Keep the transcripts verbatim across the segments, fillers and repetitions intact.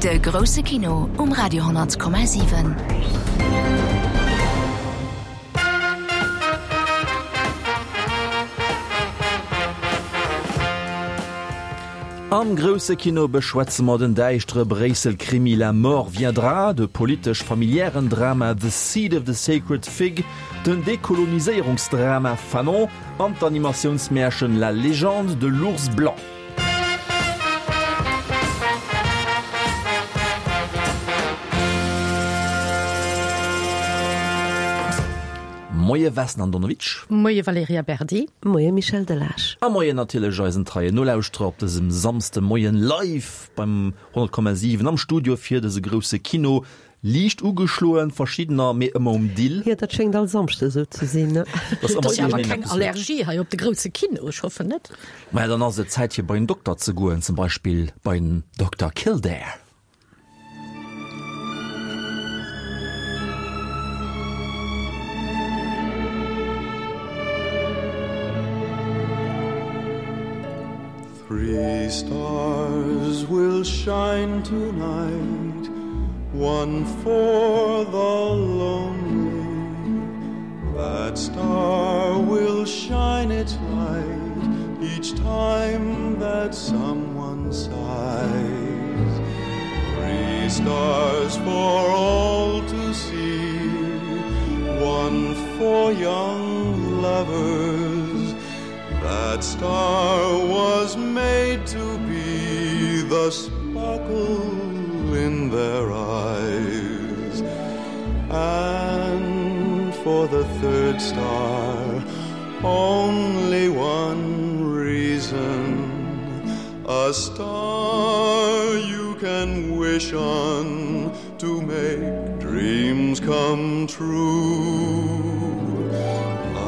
De grousse Kino um Radio honnert Komma siwen. Am grousse Kino beschwätze mer den däischtere Bréissel-Krimi La mort viendra, de politesch-familiären Drama The Seed of the Sacred Fig, den Dekoloniséierungsdrama Fanon an d'Animatiounsmärchen La légende de l'ours blanc. Moie Vesna Andonovic. Moie Valerija Berdi. Moie Michel Delage. A moien natierlech eisen treien Nolauschterer op dësem Samsdemoien live beim honnert Komma siwen am Studio fir dëse grousse Kino. Liicht ugeschloen, verschiddener, mee ëmmer um Dill. Jo, dat schéngt all Samschde esou ze sinn, ne? Dat ass ëmmer iergendeen Ass jo awer keng eppes. Allergie hei op de grousse Kino, ech hoffen net. Maja, dann ass et Zäit fir bei en Dokter ze goen, zum Beispill bei den Dokter Kildare. Three stars will shine tonight, one for the lonely. That star will shine its light each time that someone sighs. Three stars for all to see, one for young lovers. That star was made to be the sparkle in their eyes. And for the third star, only one reason, a star you can wish on to make dreams come true.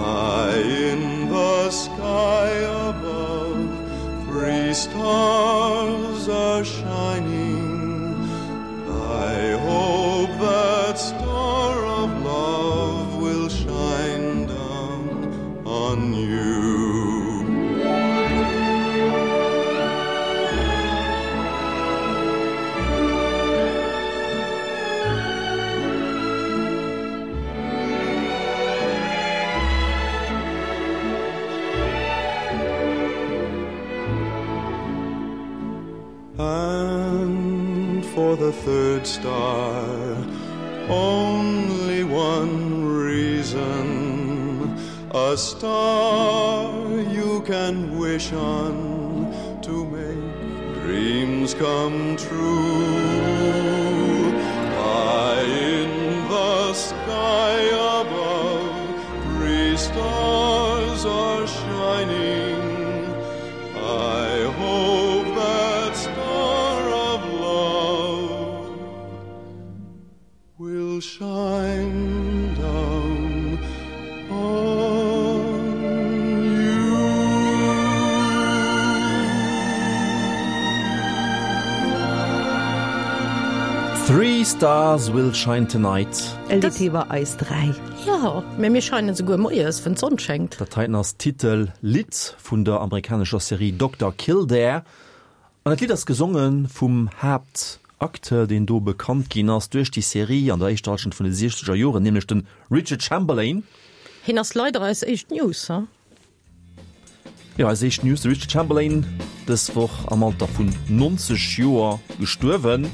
High in the sky above, three stars are shining. I hope that star of love will shine down on you. And for the third star, only one reason, a star you can wish on to make dreams come true. High in the sky above, three stars are shining. I hope that star of love will shine down on you. Three stars will shine tonight. E Lidd iwwer eis dräi. Jo, mä mir scheinen souguer moies, wann d'Sonn schéngt. Dat heiten ass d'Titel-Lidd vun der amerikanescher Serie Dokter Kildare. An dat Lidd ass gesonge vum Haaptacteur, deen do bekannt ginn ass duerch déi Serie an der éischter Hallschent vun de siechzeger Joren, nämlech de Richard Chamberlain. Hien ass leider eis éischt News, he? Jo, eis éischt News, de Richard Chamberlain, dës Woch am Alter vun neunzeg Joer gestuerwen.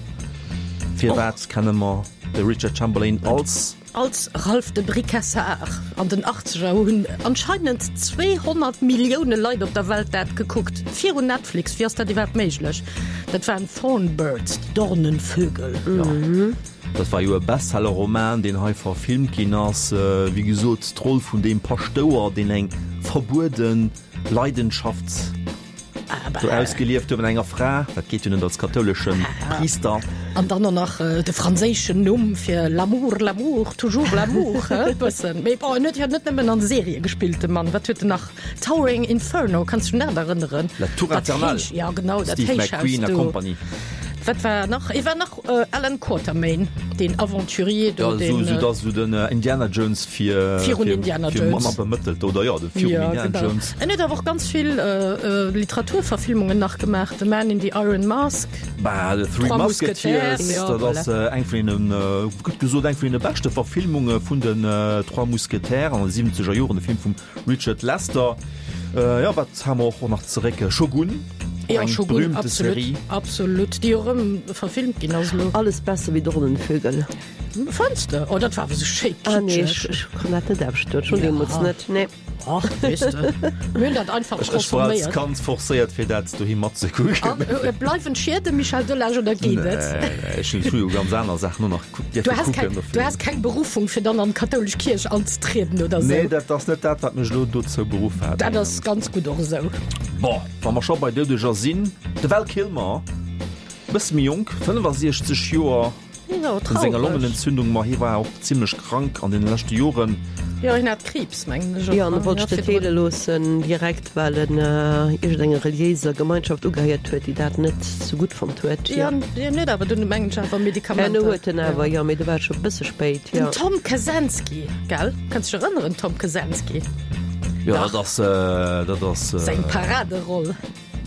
Firwat kenne mer de Richard Chamberlain als? Als Ralph de Bricassart. An den Achtzeger hunn anscheinend zweehonnert Millioune Leit op der Welt dat gekuckt. Virun Netflix. Wéi ass dat iwwerhaapt méiglech? Dat waren Thornbirds, déi Dornenvögel. Jo, dat war jo e Bestseller-Roman, deen hei verfilmt ginn ass. Wéi gesot, d'Roll vun deem Paschtouer, deen eng verbuede Leidenschaft do ausgelieft huet mat enger Fra. Dat geet jo net als kathoulesche Priister. An dann och nach de franséischen Numm fir l'amour, l'amour, toujours l'amour, he, bëssen. Mee bon, en huet jo net nëmmen an Serië gespillt, de Mann. Wat huet en nach? Towering Inferno, kanns du dech un dat erënneren? La Tour Dat Infernale, Héich, ja genau, dat Steve Héichhaus McQueen a do. Compagnie. Wat war nach? Et war nach Allan Quatermain, deen Aventurier do, Ja, deen. esou, esou, dass esou den Indiana Jones fir, Virun fir, Indiana fir Jones. manner bemëttelt, oder jo, de virun Ja, Indiana genau. Jones. En huet awer och ganz vill Literaturverfilmungen nach gemaach, The Man in the Iron Mask. Bah, The Three Trois Musketeers, Mousquetaires, ja, dat ass voilà. eng vun deenen, gutt gesot, eng vun deene beschte Verfilmunge vun den Trois Mousquetaires an de siwwenzeger Joren, de Film vum Richard Lester. Jo, wat ha mer och nach zeréck? Shogun, och Ja, eng Shogun, berühmte absolut, Serie. absolut, déi och erëm verfilmt ginn ass elo. Alles besser wéi Dornenvögel. Fënns de? Oh, dat war awer esou schéi Ah nee, kitscheg. ech, ech kann dat net ausstoen, schon deemools net, nee. Ach, weess de, mir hunn dat einfach Ech, ech war als konsuméiert. Kand forcéiert fir dat doheem matzekucken. An äh, bleiwen d'Schieden, Michel Delage, oder geet et? Nee, nee, ech hunn jo ganz aner Saachen och nach dierfe Du has kucken keng, dofir. du has keng Berufung fir dann an d'kathoulesch Kierch anzetrieden oder sou? Nee, dat ass net dat, wat mech elo dozou beruff hat. Dat ass ganz gutt och esou. Bon, wa mer scho bei Doudeger sinn, de Val Kilmer, bësse méi jonk, fënnefasiechzeg Joer, Jo, vun senger traureg. Longenentzündung, ma hie war och zimlech krank an deene leschte Joren. Jo, hien hat Kriibs, mengen ech och. Jo, an e wollt sech net heele loossen direkt, well en iergendenger reliéiser Gemeinschaft ugehéiert huet, déi dat net sou gutt fonnt huet. Jo, hien huet awer dunn, mengen ech, awer Medikamenter. Herno huet en awer, jo, mee do war et scho e bësse spéit, jo. Den Tom Kazansky, gell? Kanns dech erënneren, Tom Kazansky? Jo, dat ass, dat ass. Seng Paraderoll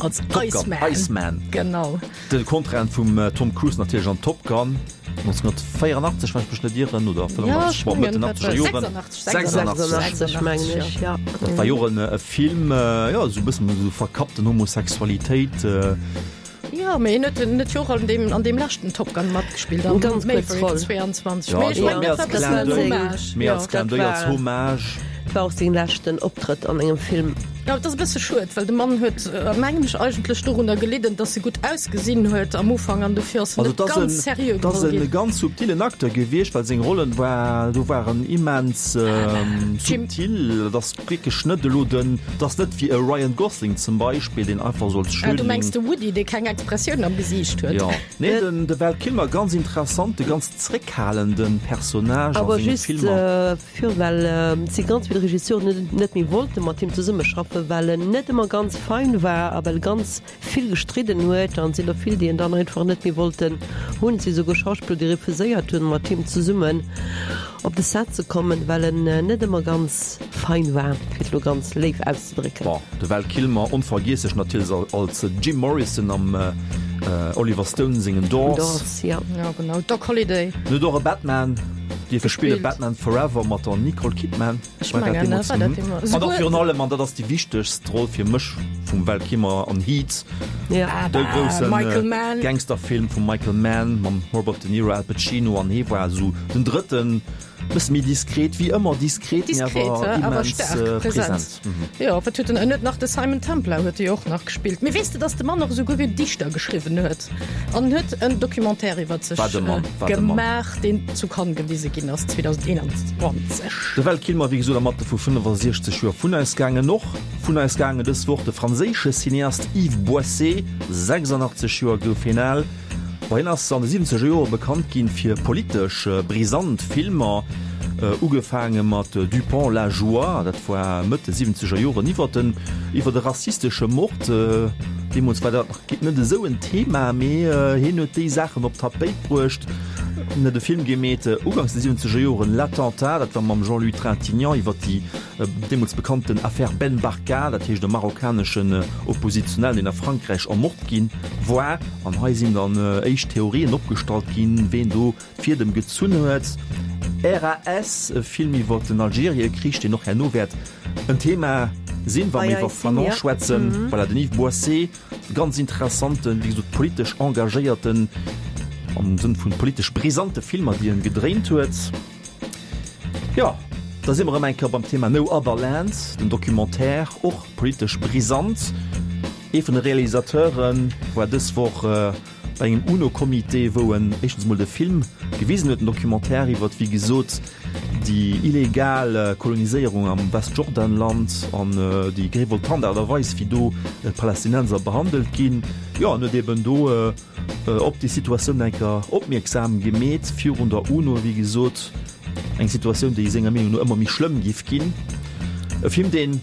als Top Gun, Iceman. Iceman. Genau. De Kontrahent vum Tom Cruise natierlech an Top Gun neunzehnhundertvéierundachtzeg, wann ech mech net ieren, oder fënnefundachtzeg, bon, Mëtt den achtzeger Joren. sechsundachtzeg, sechsundachtzeg mengen ech, ja. Dat war jo och en e Film, jo, esou e bëssen esou verkappten Homosexualitéit. Jo, mee hien huet en huet jo och an deem, an deem leschten Top Gun matgespillt, am Ganz kuerz Maverick Roll. zweiundzwanzeg. Ja, Mee ech dat war mengen, méi dat als war e bëssen Clin en d'œil, Hommage. méi als Jo. Clin Dat d'œil, als war- Hommage. Dat war och seng leschten Optrëtt an engem Film. Jo, et ass e bësse schued, well de Mann huet, mengen ech, eigentlech dorunner gelidden, dass e gutt ausgesinn huet am Ufank an dofir ass en Also net et ass ganz en, seriö et ass geholl en ginn. ganz subtilen Acteur gewiescht, well seng Rollen war, do waren immens Jim. subtil. Et ass wierklech net elo den, et ass net wéi e Ryan Gosling zum Beispill, deen einfach sou als Ah, du mengs Schönling. de Woody, dee keng Expressioun am Gesiicht huet. Jo. Nee, den, de Val Kilmer, ganz interessante, ganz zréckhalenden Personnage a Awer senge just Filmer. fir well si ganz vill Regisseuren net méi wollte mat him zesummeschaffen, well en net ëmmer ganz fein war a well e ganz vill gestridden huet an sinn der vill, déi en dann einfach net méi wollten hunn. Et si souguer Schauspiller, déi refuséiert hunn, mat him zesummen op de Set ze kommen, well en net ëmmer ganz fein war, fir et elo ganz léif auszedrécken. Bon, de Val Kilmer onvergiesslech natierlech als Jim Morrison am Oliver Stone sengen Doors. Doors, ja. Ja, genau. Doc Holliday. En huet och e Batman dierfe spillen, Batman Forever mat der Nicole Kidman. Ech War dat mengen, deemools? war dat Mhm. deemools. An och Souguer- virun allem, an dat ass déi wichtegst Roll fir mech vum Val Kilmer an Heat, Ja. de groussen Michael Mann. Gangsterfilm vum Michael Mann mam Robert De Niro, Al Pacino an hie war esou den drëtten, bësse méi diskret, wéi ëmmer diskret, mee Diskret, awer awer immens staark present. present. Jo, wat huet en, en huet nach de Simon Templar huet e och nach gespillt. Mee weess de, dass de Mann och esouguer Gedichter geschriwwen huet? An huet en Documentaire iwwer sech Wat e Mann, wat e Mann. gemaach, deen zu Cannes gewise ginn ass zweedausendeenanzwanzeg. De Val Kilmer, wéi gesot, am Alter vu fënnefasiechzeg Joer vun eis gaangen. Och vun eis gaangen dës Woch de franséische Cineast Yves Boisset, sechsundachtzeg Joer gouf hien al. Bon, hien ass an de siwwenzeger Jore bekannt ginn fir politesch brisant Filmer, ugefaange mat Dupont, la joie, dat war Mëtt de siwwenzeger Joren, iwwer den iwwer de rassistesche Mord. Deemools war dat nach net esou en Thema, mee hien huet déi Saachen op d'Tapéit bruecht. En huet e Film gemeet uganks de siwwenzeger Joren, L'Attentat, dat war mam Jean-Louis Trintignant iwwer déi deemools bekannten Affär Ben Barka, dat heescht e marokkaneschen Oppositionellen, deen a Frankräich ermort gi war. An hei sinn dann éischt Theorien opgestallt ginn, ween do d'Fiedem gezunn huet. R A S, e Film iwwer den Algeriekrich, deen och herno wäert en Thema sinn, wa mir iwwer Fanon schwätzen. Voilà, den Yves Boisset, ganz interessanten, wéi gesot politesch engagéierten, am Sënn vun politesch brisante Filmer, déi en gedréint huet. Jo, da si mer erëm eng Kéier beim Thema No Other Land, den Documentaire, och politesch brisant. Ee vun de Realisateure war dës Woch bei engem UNO-Comité, wou en éischtens mol de Film gewisen huet, den Documentaire iwwert, wéi gesot, déi illegal Koloniséierung am Westjordanland an déi revoltant Aart a Weis, wéi do d'Palästinenser behandelt ginn. Jo, en huet eben do op déi Situatioun eng Kéier opmierksam gemeet virun der UNO, wéi gesot, eng Situatioun, déi senger Meenung no ëmmer méi schlëmm giff ginn. E Film, deen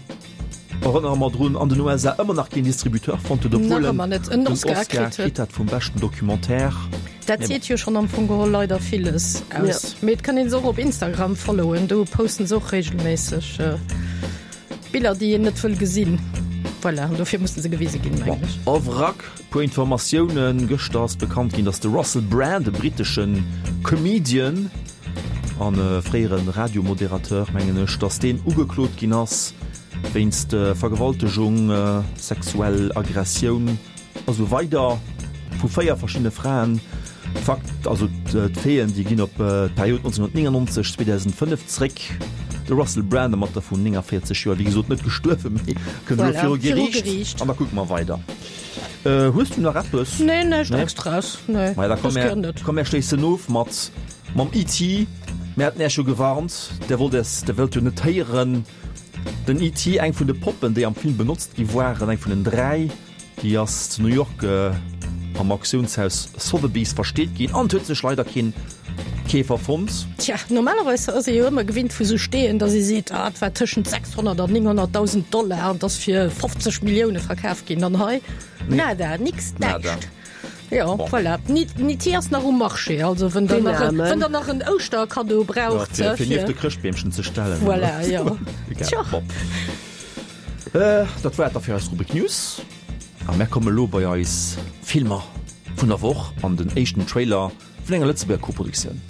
Erënnere mer drun, an den U S A ëmmer nach keen Distributeur fonnt huet, obwuel Nach en ëmmer net en den Oscar Oscar kritt huet. kritt hat vum beschten Documentaire. Dat Mee seet bon. jo schonn am Fong geholl leider villes aus. Ja. Mee et kann een se och op Instagram followen, do posten se och regelméisseg Biller, déi een net wëll gesinn. Voilà, an dofir mussen se gewise ginn, Bon, mengen ech. au vrac, puer Informatiounen. Gëschter ass bekannt ginn, dass de Russell Brand, e britteschen Comedian an fréiere Radiomoderateur, mengen ech, dass deen ugeklot ginn ass wéinst Vergewaltegung, sexuell Aggressioun a sou weider vu véier verschiddene Fraen. Fakt, also d'Faiten, déi ginn op d'Period nonzénhunnertnéngennonzeg, zweedausendfënnef zréck. De Russell Brand am Alter vun néngavéierzeg Joer, wéi gesot net gestuerwen, mee kënnt elo Voilà, viru viru Geriicht. Geriicht. An da kucke mer weider. Äh, hues du nach eppes? Nee, näischt Nee? Extras, nee. Maja, da komm Das mer, gär net. komm mer schléissen of mat mam E T Mir haten Iech jo gewarnt, der wollt es, der wëllt jo net héieren. Den E T, eng vun de Poppen, déi am Film benotzt gi waren, eng vun den dräi, déi ass zu New York äh, am Auktiounshaus Sotheby's versteet ginn an huet sech leider keen Keefer fonnt. Tja, normalerweis ass ee jo ëmmer gewinnt vu sou Steeën, datt ee seet, ah, et war tëschent sechshonnert an nénghonnertdausend Dollar an et ass fir fofzeg Millioune verkaf ginn. An hei, Nee. nada, nix, Nada. näischt. Jo, Bon. voilà. Ni, ni T ass nach um Marché, also wenn der Den nach en, Armen. wenn der nach en Ouschterkaddo Ja, braucht, fir, fir fir nieft de Chrëschtbeemchen ze stellen. Voilà, jo. Egal. Tja. Bon. Äh, dat war et da fir eis Rubrik News. A mär komme lo bei eis Filmer vun der Woch an den éischten Trailer vun enger Lëtzebuerger Koproduktioun.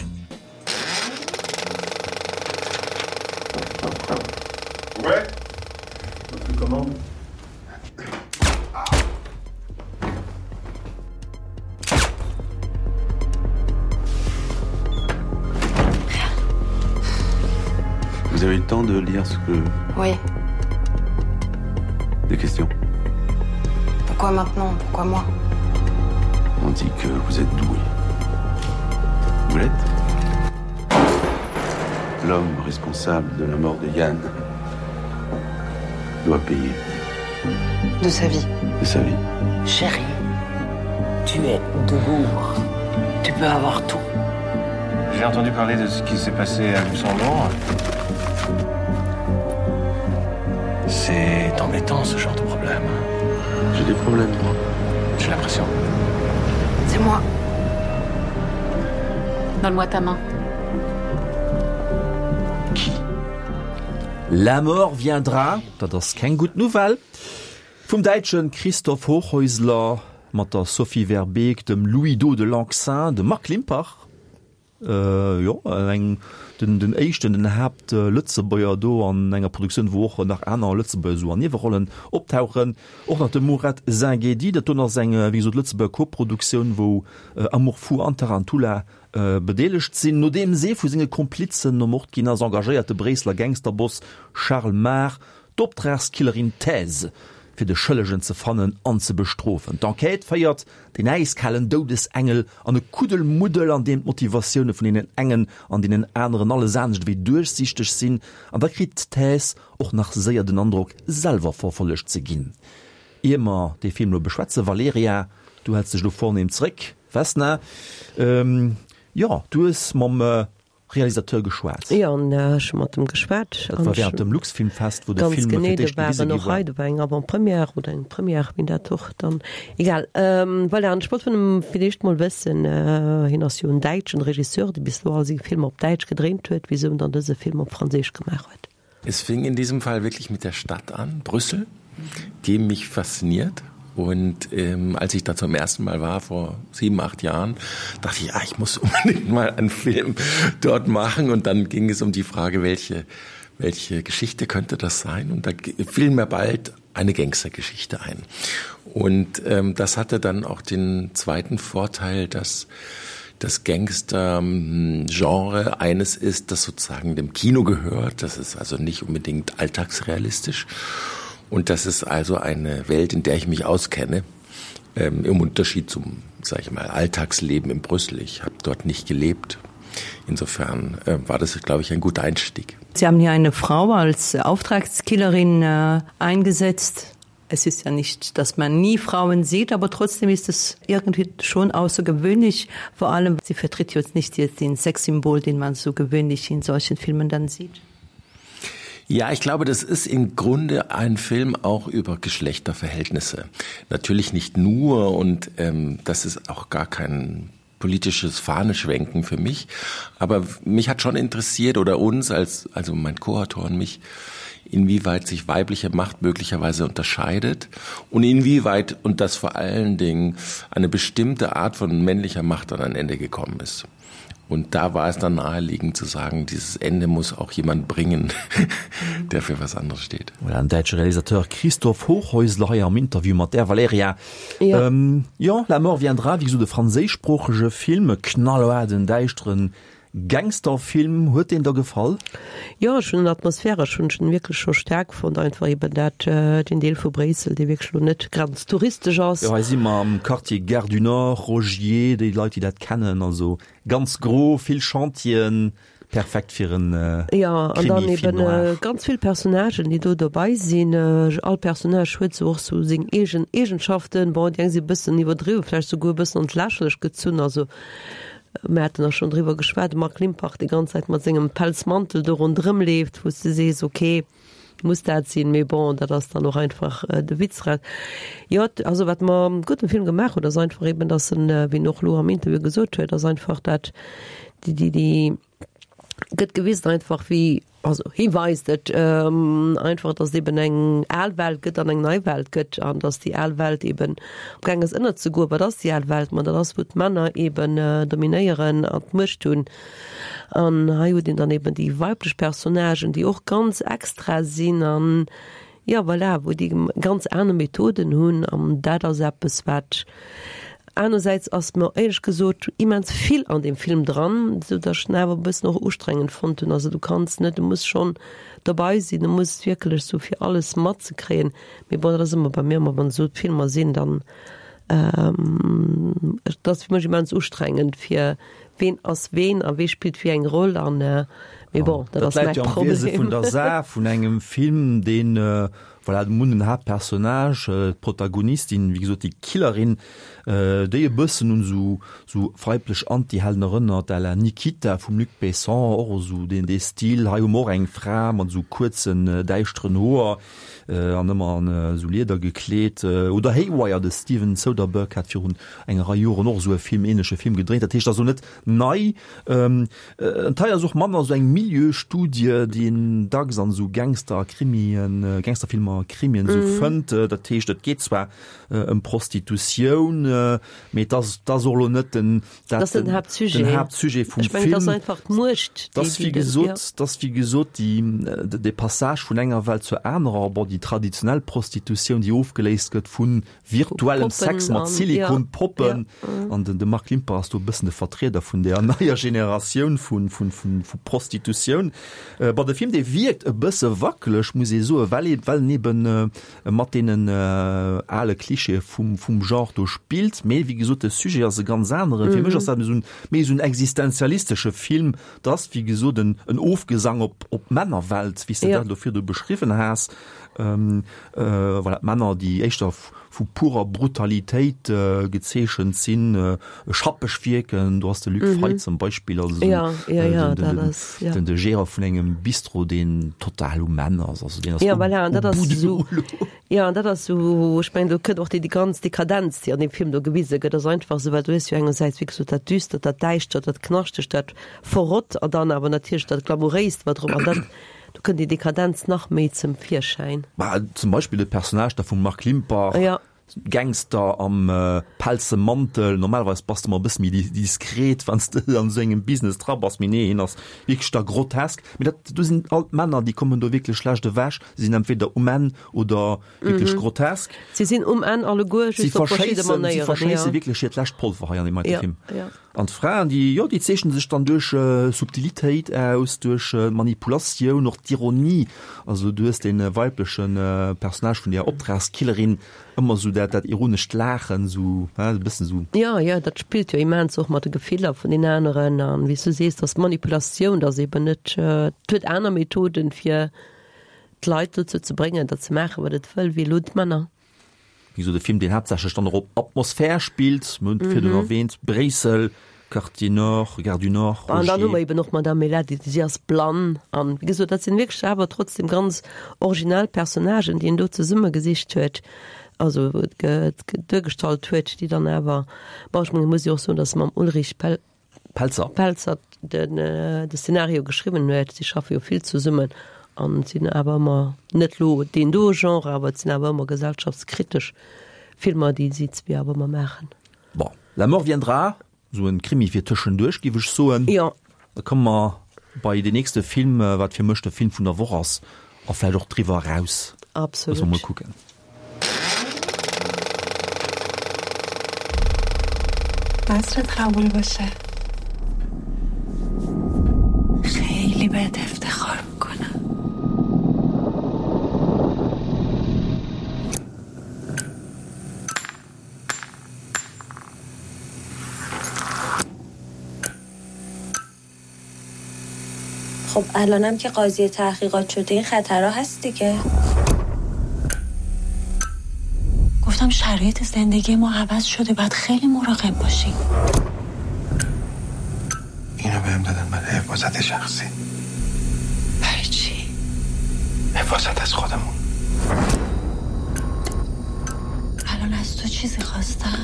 Ouais. Votre commande. Vous avez eu le temps de lire ce que... Oui. Des questions. Pourquoi maintenant? Pourquoi moi? On dit que vous êtes doué. Vous l'êtes? L'homme responsable de la mort de Yann doit payer. De sa vie. De sa vie. Chérie, tu es de Bourg. Tu peux avoir tout. J'ai entendu parler de ce qui s'est passé à Luxembourg. C'est embêtant, ce genre de problème. J'ai des problèmes, moi. J'ai l'impression. C'est moi. Donne-moi ta main. Qui? La mort viendra, dat ass keng gutt Nouvelle, vum Däitschen Christoph Hochhäusler mat der Sophie Verbeek, dem Louis-Do de Lencquesaing, dem Marc Limpach, äh, jo, eng, den, den éischten, den Haapt-Lëtzebuerger do an enger Produktioun, wou och nach aner Lëtzebuerger esou an Niewerollen optauchen. Och nach de Mourad Zengedi, dat do ass eng, wéi gesot, Lëtzebuerger Koproduktioun, wou, äh, Amour fou an Tarantula, äh, bedeelegt sinn. Nodeems ee vu senge Komplizen ermort ginn ass, engagéiert de Bréisseler Gangsterboss Charles Mar d'Optragskillerin Thèse, fir de Schëllegen ze fannen an ze bestrofen. D'Enquête féiert den äiskalen Doudesengel an e Kuddelmuddel, an deem d'Motivatioune vun deenen engen an deenen aneren alles anescht wéi duerchsiichteg sinn, an da kritt d'Thèse och nach séier den Androck, selwer verfollegt ze ginn. Ier mer dee Film elo beschwätzen, Valerija, du häls dech elo vornehm zréck, Vesna, ähm, jo, du hues mam Realisateur geschwat. Jo, an ech hu mat em geschwat. Dat war während dem Luxfilmfest, wou de Ganz Film fir genee, do d'éischt war gewise en gi och war. hei, do war eng Avant-première oder eng Première, wéi dat och dann, egal. Ähm, voilà, an ech wollt vun em fir d'éischt mol wëssen, äh, hien ass jo en däitschen Regisseur, dee bis elo all seng Filmer op Däitsch gedréint huet, wisou en dann dëse Film op Franséisch gemaach huet. Es fing in diesem Fall wirklich mit der Stadt an, Brüssel, die mich fasziniert. Und, ähm, als ich da zum ersten Mal war, vor sieben, acht Jahren, dachte ich, ah, ich muss unbedingt mal einen Film dort machen. Und dann ging es um die Frage, welche, welche Geschichte könnte das sein? Und da fiel mir bald eine Gangstergeschichte ein. Und, ähm, das hatte dann auch den zweiten Vorteil, dass das Gangster-Genre eines ist, das sozusagen dem Kino gehört. Das ist also nicht unbedingt alltagsrealistisch. Und das ist also eine Welt, in der ich mich auskenne, ähm, im Unterschied zum, sag ich mal, Alltagsleben in Brüssel. Ich habe dort nicht gelebt. Insofern, äh, war das, glaube ich, ein guter Einstieg. Sie haben hier eine Frau als Auftragskillerin, äh, eingesetzt. Es ist ja nicht, dass man nie Frauen sieht, aber trotzdem ist es irgendwie schon außergewöhnlich. Vor allem, sie vertritt jetzt nicht jetzt den Sexsymbol, den man so gewöhnlich in solchen Filmen dann sieht. Ja, ich glaube, das ist im Grunde ein Film auch über Geschlechterverhältnisse. Natürlich nicht nur und ähm, das ist auch gar kein politisches Fahneschwenken für mich. Aber mich hat schon interessiert oder uns als also mein Koautor und mich, inwieweit sich weibliche Macht möglicherweise unterscheidet und inwieweit und das vor allen Dingen eine bestimmte Art von männlicher Macht an ein Ende gekommen ist. Und da war es dann naheliegend zu sagen, dieses Ende muss auch jemand bringen, der für was anderes steht. Voilà, den däitsche Realisateur Christoph Hochhäusler hei am Interview mat der Valerija. Jo. Ähm, jo, La mort viendra, wéi gesot e franséischsproochege Film, e knallhaarden, däischteren Gangsterfilm. Huet deen der gefall? Jo, ech hunn atmosphäresch hunn ech en wierklech scho staark fonnt, einfach eben dat, deen Deel vu Bréissel, dee wierklech elo net ganz touristesch ass. Jo, hei si mer am Quartier Gare du Nord, Rogier, déi Leit, déi dat kennen, also Ganz gro, vill Chantieren, perfekt fir en Jo, an dann Krimi, Film eben noir. ganz vill Personnagen, déi do dobei sinn. All Personnage huet sou och sou seng eegen Eegenschaften. Bon, déi eng si e bëssen iwwerdriwwen, vläicht souguer e bëssen an d'Lächerlecht gezunn. Also mir haten och schonn driwwer geschwat, de Marc Limpach déi ganz Zäit mat sengem Pelzmantel do ronderëm leeft, wou s de sees, okay, muss dat sinn, mee bon, dat ass dann och einfach de Witz draus. Jo, also wat mer gutt um Film gemaach huet, ass einfach eben, dass en, wéi en och elo am Interview gesot huet, ass einfach dat déi, déi, déi gëtt gewisen einfach wéi, also hie weist et einfach, dass et eben eng al Welt gëtt an eng nei Welt gëtt an dass déi al Welt eben amgaang ass ënnerzegoen. Wat ass déi al Welt? Ma dat ass wou d'Männer eben dominéieren an d'Muecht hunn. An hei huet een dann eben déi weiblech Personnagen, déi och ganz extra sinn an, jo, voilà, wou déi ganz aner Methoden hunn. An dat ass eppes, wat anersäits ass mer éierlech gesot immens vill an deem Film dran, esou datt ech en awer e bëssen och ustrengend fonnt hunn. Also du kanns net, du muss schonn dobei sinn, du muss wierklech sou fir alles matzekréien. Mee bon, dat ass ëmmer bei mir ëmmer, wann esou Filmer sinn, dann, et ass fir mech immens ustrengend fir ween ass ween a wee spillt wéi eng Roll an mee bon, dat Dat ass läit mäi jo am Wiese Problem. vun der Saach, vun engem Film, deen, voilà, mir hunn den Haaptpersonnage, d'Protagonistin, wéi gesot déi Killerin, déi e bëssen un esou esou weiblech Antihelden erënnert, à la Nikita vum Luc Besson, och esou deen dee Stil. Hei hu mer och eng Fra mat esou kuerzen, däischteren Hoer an ëmmer an esou Lieder gekleet. Oder Haywire, de Steven Soderbergh hat virun enger Rei Joren och esou e Film, ähnleche Film gedréint. Dat heescht, dat ass elo net nei. Et hei ass och manner esou eng Milieustudie, déi een dacks an esou Gangster a Krimien, Gangsterfilmer a Krimien esou fënnt. Dat heescht, et geet zwar ëm Prostitutioun, mee et ass, et ass och elo net den, Dat ass den Haaptsujet. den Haaptsujet vum Ech mengen, et ass Film. einfach d'Muecht, Et ass déi, wéi déi den, gesot, ja. et ass wéi gesot déi, dee Passage vun enger Welt zur anerer, bon, déi traditionell Prostitutioun, déi ofgeléist gëtt vu virtuellem Poppen Sex mat an, ja, Silikonpoppen. ja. An den, de Marc Limpach ass do e bëssen de Vertrieder vun där neier Generatioun vu, vu, vu, vu Prostitutioun. Bon, de Film, dee wierkt e bësse wackeleg, muss ee soen, well ee, well en eben mat deenen ale Klischeeë vum, vum Genre do spillt. Mee wéi gesot, de Sujet ass e ganz aneren. Fir mech ass dat esou en, méi esou en existenzialistesche Film. Et ass, wéi gesot, en, en Ofgesang op, op d'Männerwelt, wéi s de Ja. dat elo virdu beschriwwen has. Voilà, d'Männer, déi éischter vu purer Brutalitéit gezeechent sinn, schappeg wierken. Do ass de Luc Frey zum Beispill, also den de Gérant vun engem Bistro, deen total um Enn ass. Also deen ass Ja, voilà, an dat au ass bout du esou, rouleau. ja, an dat ass esou, ech mengen, do kënnt och déi, déi ganz Dekadenz, déi an deem Film do gewise gëtt, ass einfach esou, well du hues jo engersäits, wéi gesot, dat Düstert, dat Däischtert, dat Knaschtegt, dat Verrott an dann awer natierlech dat Glamouréist, wat drop, an dat, Do kënnt déi Dekadenz nach méi zum Virschäin. Bah, zum Beispill de Personnage da vum Marc Limpach, Ja. Gangster am pelze Mantel. Normalerweis bass de mol e bësse méi diskret, wann s de an esou engem Business dra bass, mee nee, hien ass wierklech da grotesk. Mee dat, do sinn all d'Männer, déi kommen do wierklech schlecht ewech. Si sinn entweder um Enn oder wierklech grotesk. Si sinn um Enn alleguer, Si just op verschidde verschéissen, si Manéieren, verschéisse ja. wierklech hiert lescht Polver hei an deem heite Ja, Film. ja. An d'Fraen, déi, jo, déi zeechnen sech dann duerch Subtilitéit aus, duerch Manipulatioun, och d'Ironie. Also du hues dee weibleche Personnage vun där Optragskillerin, ëmmer esou dat, dat ironescht Laachen, esou, he, e bëssen esou. Jo, jo, dat spillt jo immens och mat de Gefiller vun den aneren. An wéi s du sees, dass Manipulatioun, dass eben net, et huet aner Methoden, fir d'Leit dozou ze bréngen, dat ze maachen, wat et wëll, wéi elo d'Männer. Wéi gesot, e Film, deen haaptsächlech dann och op Atmosphär spillt. Mir hunn et virdrun erwähnt, Bréissel, Quartier Nord, Gare du Nord, An dann hu mer Rogier. eben och d'Madame Melati, si ass blann an wéi gesot, dat sinn wierklech awer trotzdem ganz originell Personnagen, déi en do zesummegesicht huet, also duergestallt huet, déi dann awer, bon, ech mengen, muss jo och soen, datt mam Ulrich Pel Pelzer. Pelzer den de Szenario geschriwwen huet. Si schaffe jo vill zesummen an sinn awer ëmmer, net elo deen do Genre, awer et sinn awer ëmmer gesellschaftskritesch Filmer, déi si zwee awer ëmmer maachen. Bon, La mort viendra, esou en Krimi fir tëschenduerch, géif ech soen. Jo. Da komme mer bei deen nächste Film, wat fir mech de Film vun der Woch ass, a vläicht och driwwer eraus. Absolut. Loosse mer mol kucken. عصرت قبول باشه خیلی بهت افتخار میکنم خب الانم که قاضی تحقیقات شده این خطرها هست دیگه گفتم شرایط زندگی ما عوض شده باید خیلی مراقب باشیم اینو بهم دادن برای حفاظت شخصی برای چی؟ حفاظت از خودمون الان از تو چیزی خواستم؟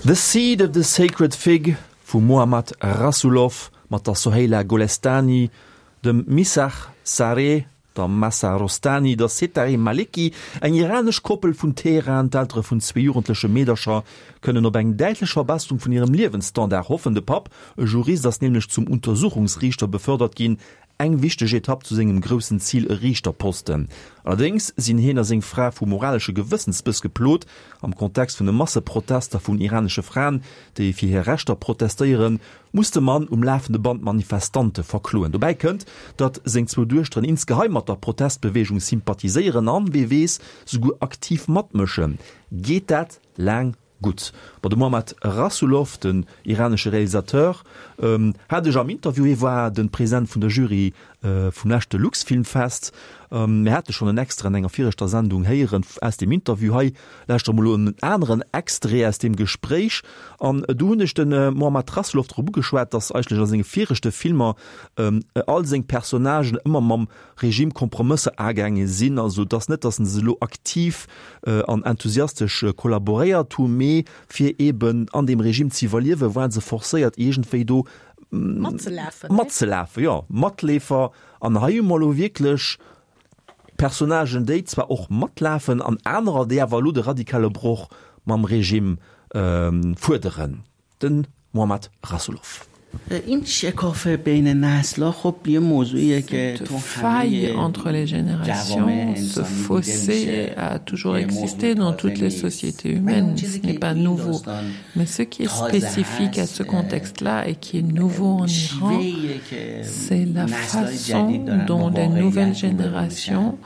The Seed of the Sacred Fig vum Mohammad Rasoulof mat der Soheila Golestani, dem Misagh Zareh, der Mahsa Rostani, der Setareh Maleki, eng iranesch Koppel vun Teheran, d'Eltere vun zwee jugendleche Meedercher, kënnen op eng däitlech Verbesserung vun hirem Liewensstandard hoffen. De Papp, e Jurist, ass nämlech zum Untersuchungsriichter befördert ginn, eng wichteg Etapp zu sengem groussen Zil, e Riichterposten. Allerdéngs sinn hien a seng Fra vu moralesche Gewëssensbëss geplot. Am Kontext vun de Masseprotester vun iranesche Fraen, déi fir hir Rechter protestéieren, muss de Mann um lafende Band Manifestante verkloen. Dobäi kënnt, datt seng zwou Duechteren insgeheim mat der Protestbeweegung sympathiséieren an, wee weess, souguer aktiv matmëschen. Geet dat laang gutt? Ma de Mohammad Rasoulof, den iranesche Realisateur, hat ech am Interview, hie war de President vun der Jury vum leschte Luxfilmfest, mir hate schonn en Extrait an enger viregter Sendung héieren aus deem Interview, hei lauschtere mer elo en aneren Extrait aus deem Gespréich. An do hunn ech de Mohammad Rasoulof drop ugeschwat, datt eigentlech a senge viregte Filmer all seng Personnagen ëmmer mam Regime Kompromësser agaange sinn, also et ass net, datt se elo aktiv an enthusiastesch kollaboréiert hu, mee fir eben an deem Regime ze iwwerliewen, waren se forcéiert iergendwéi do matzelafen, matzelafen, jo, Matleefer. An hei hu mer elo wierklech Personnagen, déi zwar och matlafen, an anerer, déi awer elo de radikale Broch mam Regime fuerderen. De Mohammad Rasoulof. Cette faille entre les générations, ce fossé a toujours existé dans toutes les sociétés humaines, ce n'est pas nouveau. Mais ce qui est spécifique à ce contexte-là et qui est nouveau en Iran, c'est la façon dont les nouvelles générations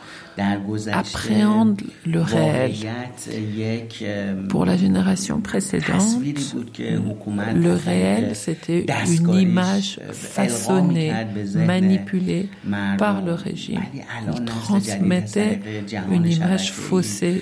appréhendent le réel. Pour la génération précédente, le réel, c'était une image façonnée, manipulée par le régime. Il transmettait une image faussée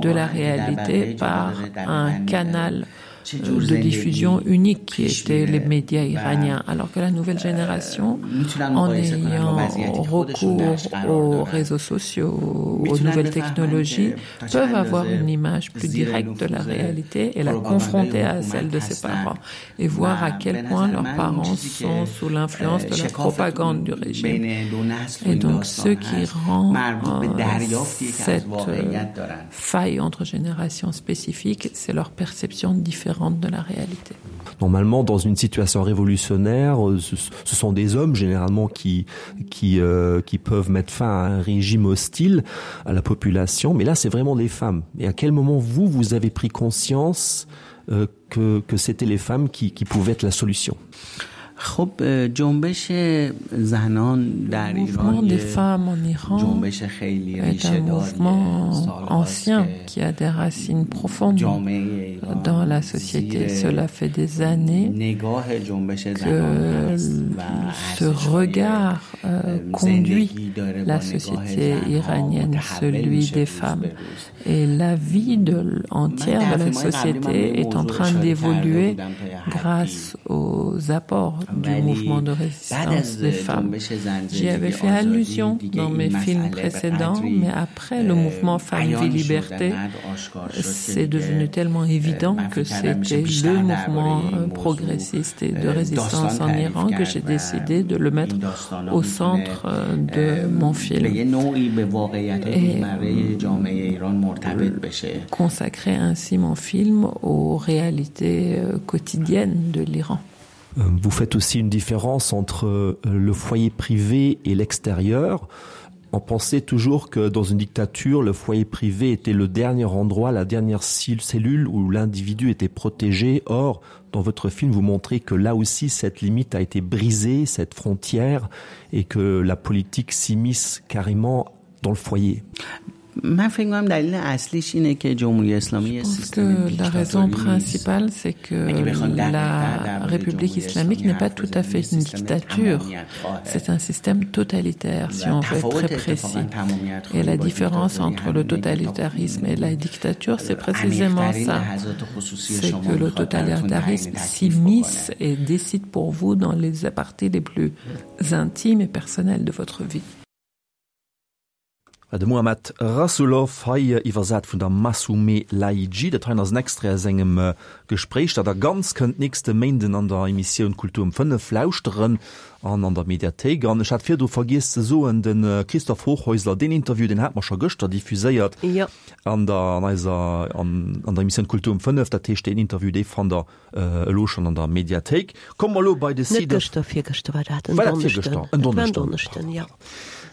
de la réalité par un canal de diffusion unique qui était les médias iraniens, alors que la nouvelle génération, en ayant recours aux réseaux sociaux, aux nouvelles technologies, peuvent avoir une image plus directe de la réalité et la confronter à celle de ses parents et voir à quel point leurs parents sont sous l'influence de la propagande du régime. Et donc ce qui rend euh, cette euh, faille entre générations spécifiques, c'est leur perception différente de la réalité. Normalement, dans une situation révolutionnaire, euh, ce, ce sont des hommes généralement qui, qui, euh, qui peuvent mettre fin à un régime hostile à la population, mais là c'est vraiment les femmes. Et à quel moment vous, vous avez pris conscience euh, que, que c'était les femmes qui, qui pouvaient être la solution? خب جنبش زنان در Le mouvement ایران des یه femmes en Iran جنبش خیلی est un ریشه mouvement ancien qui a des racines profondes dans la société. Cela fait des années نگاه جنبش que زنان هست و ce regard euh, conduit la société iranienne, celui des femmes. Et la vie de, entière de la société est en train d'évoluer grâce aux apports du mouvement de résistance des femmes. J'y avais fait allusion dans mes films précédents, mais après le mouvement Femmes Vie Liberté, c'est devenu tellement évident que c'était le mouvement euh, progressiste et de résistance en Iran que j'ai décidé de le mettre au centre euh, de mon film. به یه نوعی به واقعیت Et روزمره جامعه ایران مرتبط بشه consacrer ainsi mon film aux réalités euh, quotidiennes de l'Iran. Euh, Vous faites aussi une différence entre euh, le foyer privé et l'extérieur. On pensait toujours que dans une dictature, le foyer privé était le dernier endroit, la dernière cellule où l'individu était protégé. Or, dans votre film, vous montrez que là aussi, cette limite a été brisée, cette frontière, et que la politique s'immisce carrément dans le foyer. من فکر می‌کنم دلیل اصلیش اینه که جمهوری اسلامی یه Je pense سیستم que la raison دیکتاتوری نیست principale, c'est que اگه بخوام دقیق‌تر la درباره République جمهوری islamique اسلامی n'est pas حرف tout à بزنیم fait یه une سیستم dictature. تمامیت‌خواهه C'est un système totalitaire, si و on veut être تفاوت très اتفاقا précis. Et تمامیت‌خواهی la با différence دیکتاتوری entre le همینه که تا totalitarisme et la dictature, c'est précisément عمیق‌ترین ça. لحظات خصوصی C'est شما que le میخواد براتون تعیین totalitarisme تکلیف s'immisce بکنه et décide pour vous dans les parties les plus intimes et personnelles de votre vie. De Mohammad Rasoulof hei iwwersat vun der Massoumeh Lahidji, dat hei ass en Extrait aus engem äh, Gespréich, dat der ganz kënnt nächste Méinden an der Emissioun Kultur um fënnef lauschteren an an der Mediathéik. An ech hat virdru vergiess ze soen, den äh, Christoph Hochhäusler, den Interview, den hat mer scho gëschter diffuséiert Ja. an der an eiser an, an der Emissioun Kultur um fënnef, dat heescht den Interview dee fannt der äh, elo schonn an der Mediathéik. Komme mer elo bei The Net Seed of gëschter, virgëschter war dat, en War dat Donneschden. virgëschter? En Dat war en Donneschden. Donneschden, ja.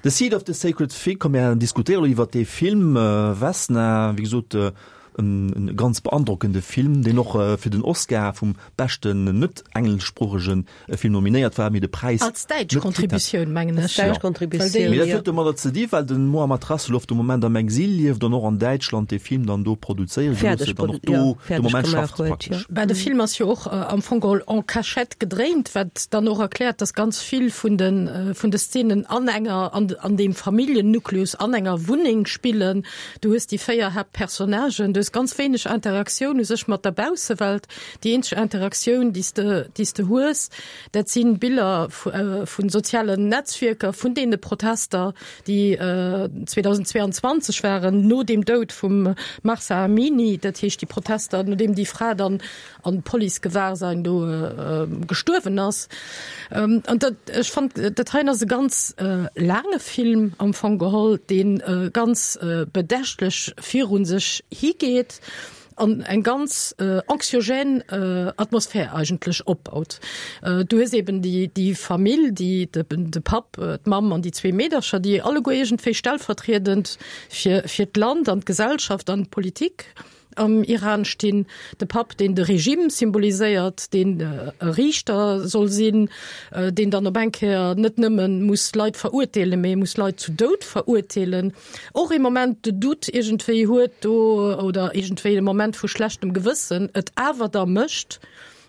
The Seed of the Sacred Fig, komm mir diskutéiere iwwer de Film äh, Vesna, wéi gesot äh, en, en ganz beandrockende Film, deen och äh, fir den Oscar vum beschten net engleschsproochege äh, Film nominéiert war, mee de Präis Als däitsch net kritt hat. Contributioun, mengen ech. Als däitsch Contributioun, Mee dat ja. huet domadder ze dinn, well den Mohammad Rasoulof de Moment am Exil lieft an och an Däitschland de Film dann do produzéiere Fäerdeg gelooss huet an och produ- do ja, de fäerdeg Moment gemaach schafft huet, praktesch. ja. Bah, de Film ass jo och äh, am Fong geholl en cachette gedréint, wat dann och erkläert, dass ganz vill vun den äh, vun de Szenen an enger an, an dem Familljennukleus an enger Wunneng spillen. Du hues déi véier Haaptpersonnagen, du hues ganz wéineg Interaktioun u sech mat der Baussewelt. Déi eenzeg Interaktioun, déi s de, déi s de hues, dat sinn Biller vu, äh, vun sozialen Netzwierker, vun deene Protester, déi äh, zweedausendzweianzwanzeg waren, no dem Doud vum Mahsa Amini, dat heescht déi Protester, nodeem déi Fra dann an Policegewahrsam do äh, gestuerwen ass. Ähm, an dat, ech fannt, dat hei ass e ganz äh, laange Film am Fong geholl, deen äh, ganz äh, bedächtlech virun sech higeet an eng ganz äh, anxiogène äh, Atmosphär eigentlech opbaut. Äh, du hues eben déi, déi Famill, déi, de, de Papp, äh, d'Mamm an déi zwee Meedercher, déi alleguer iergendwéi stellvertriedend fir, fir d'Land an d'Gesellschaft an d'Politik am Iran stinn. De Papp, deen de Regime symboliséiert, deen äh, Riichter soll sinn, äh, deen dann op eng Kéier net nëmme muss Leit verurteelen, mee muss Leit zu Doud verurteelen. Och e Moment de Doute iergendwéi huet do oder iergendwéi e Moment vu schlechtem Gewëssen, et awer da mécht,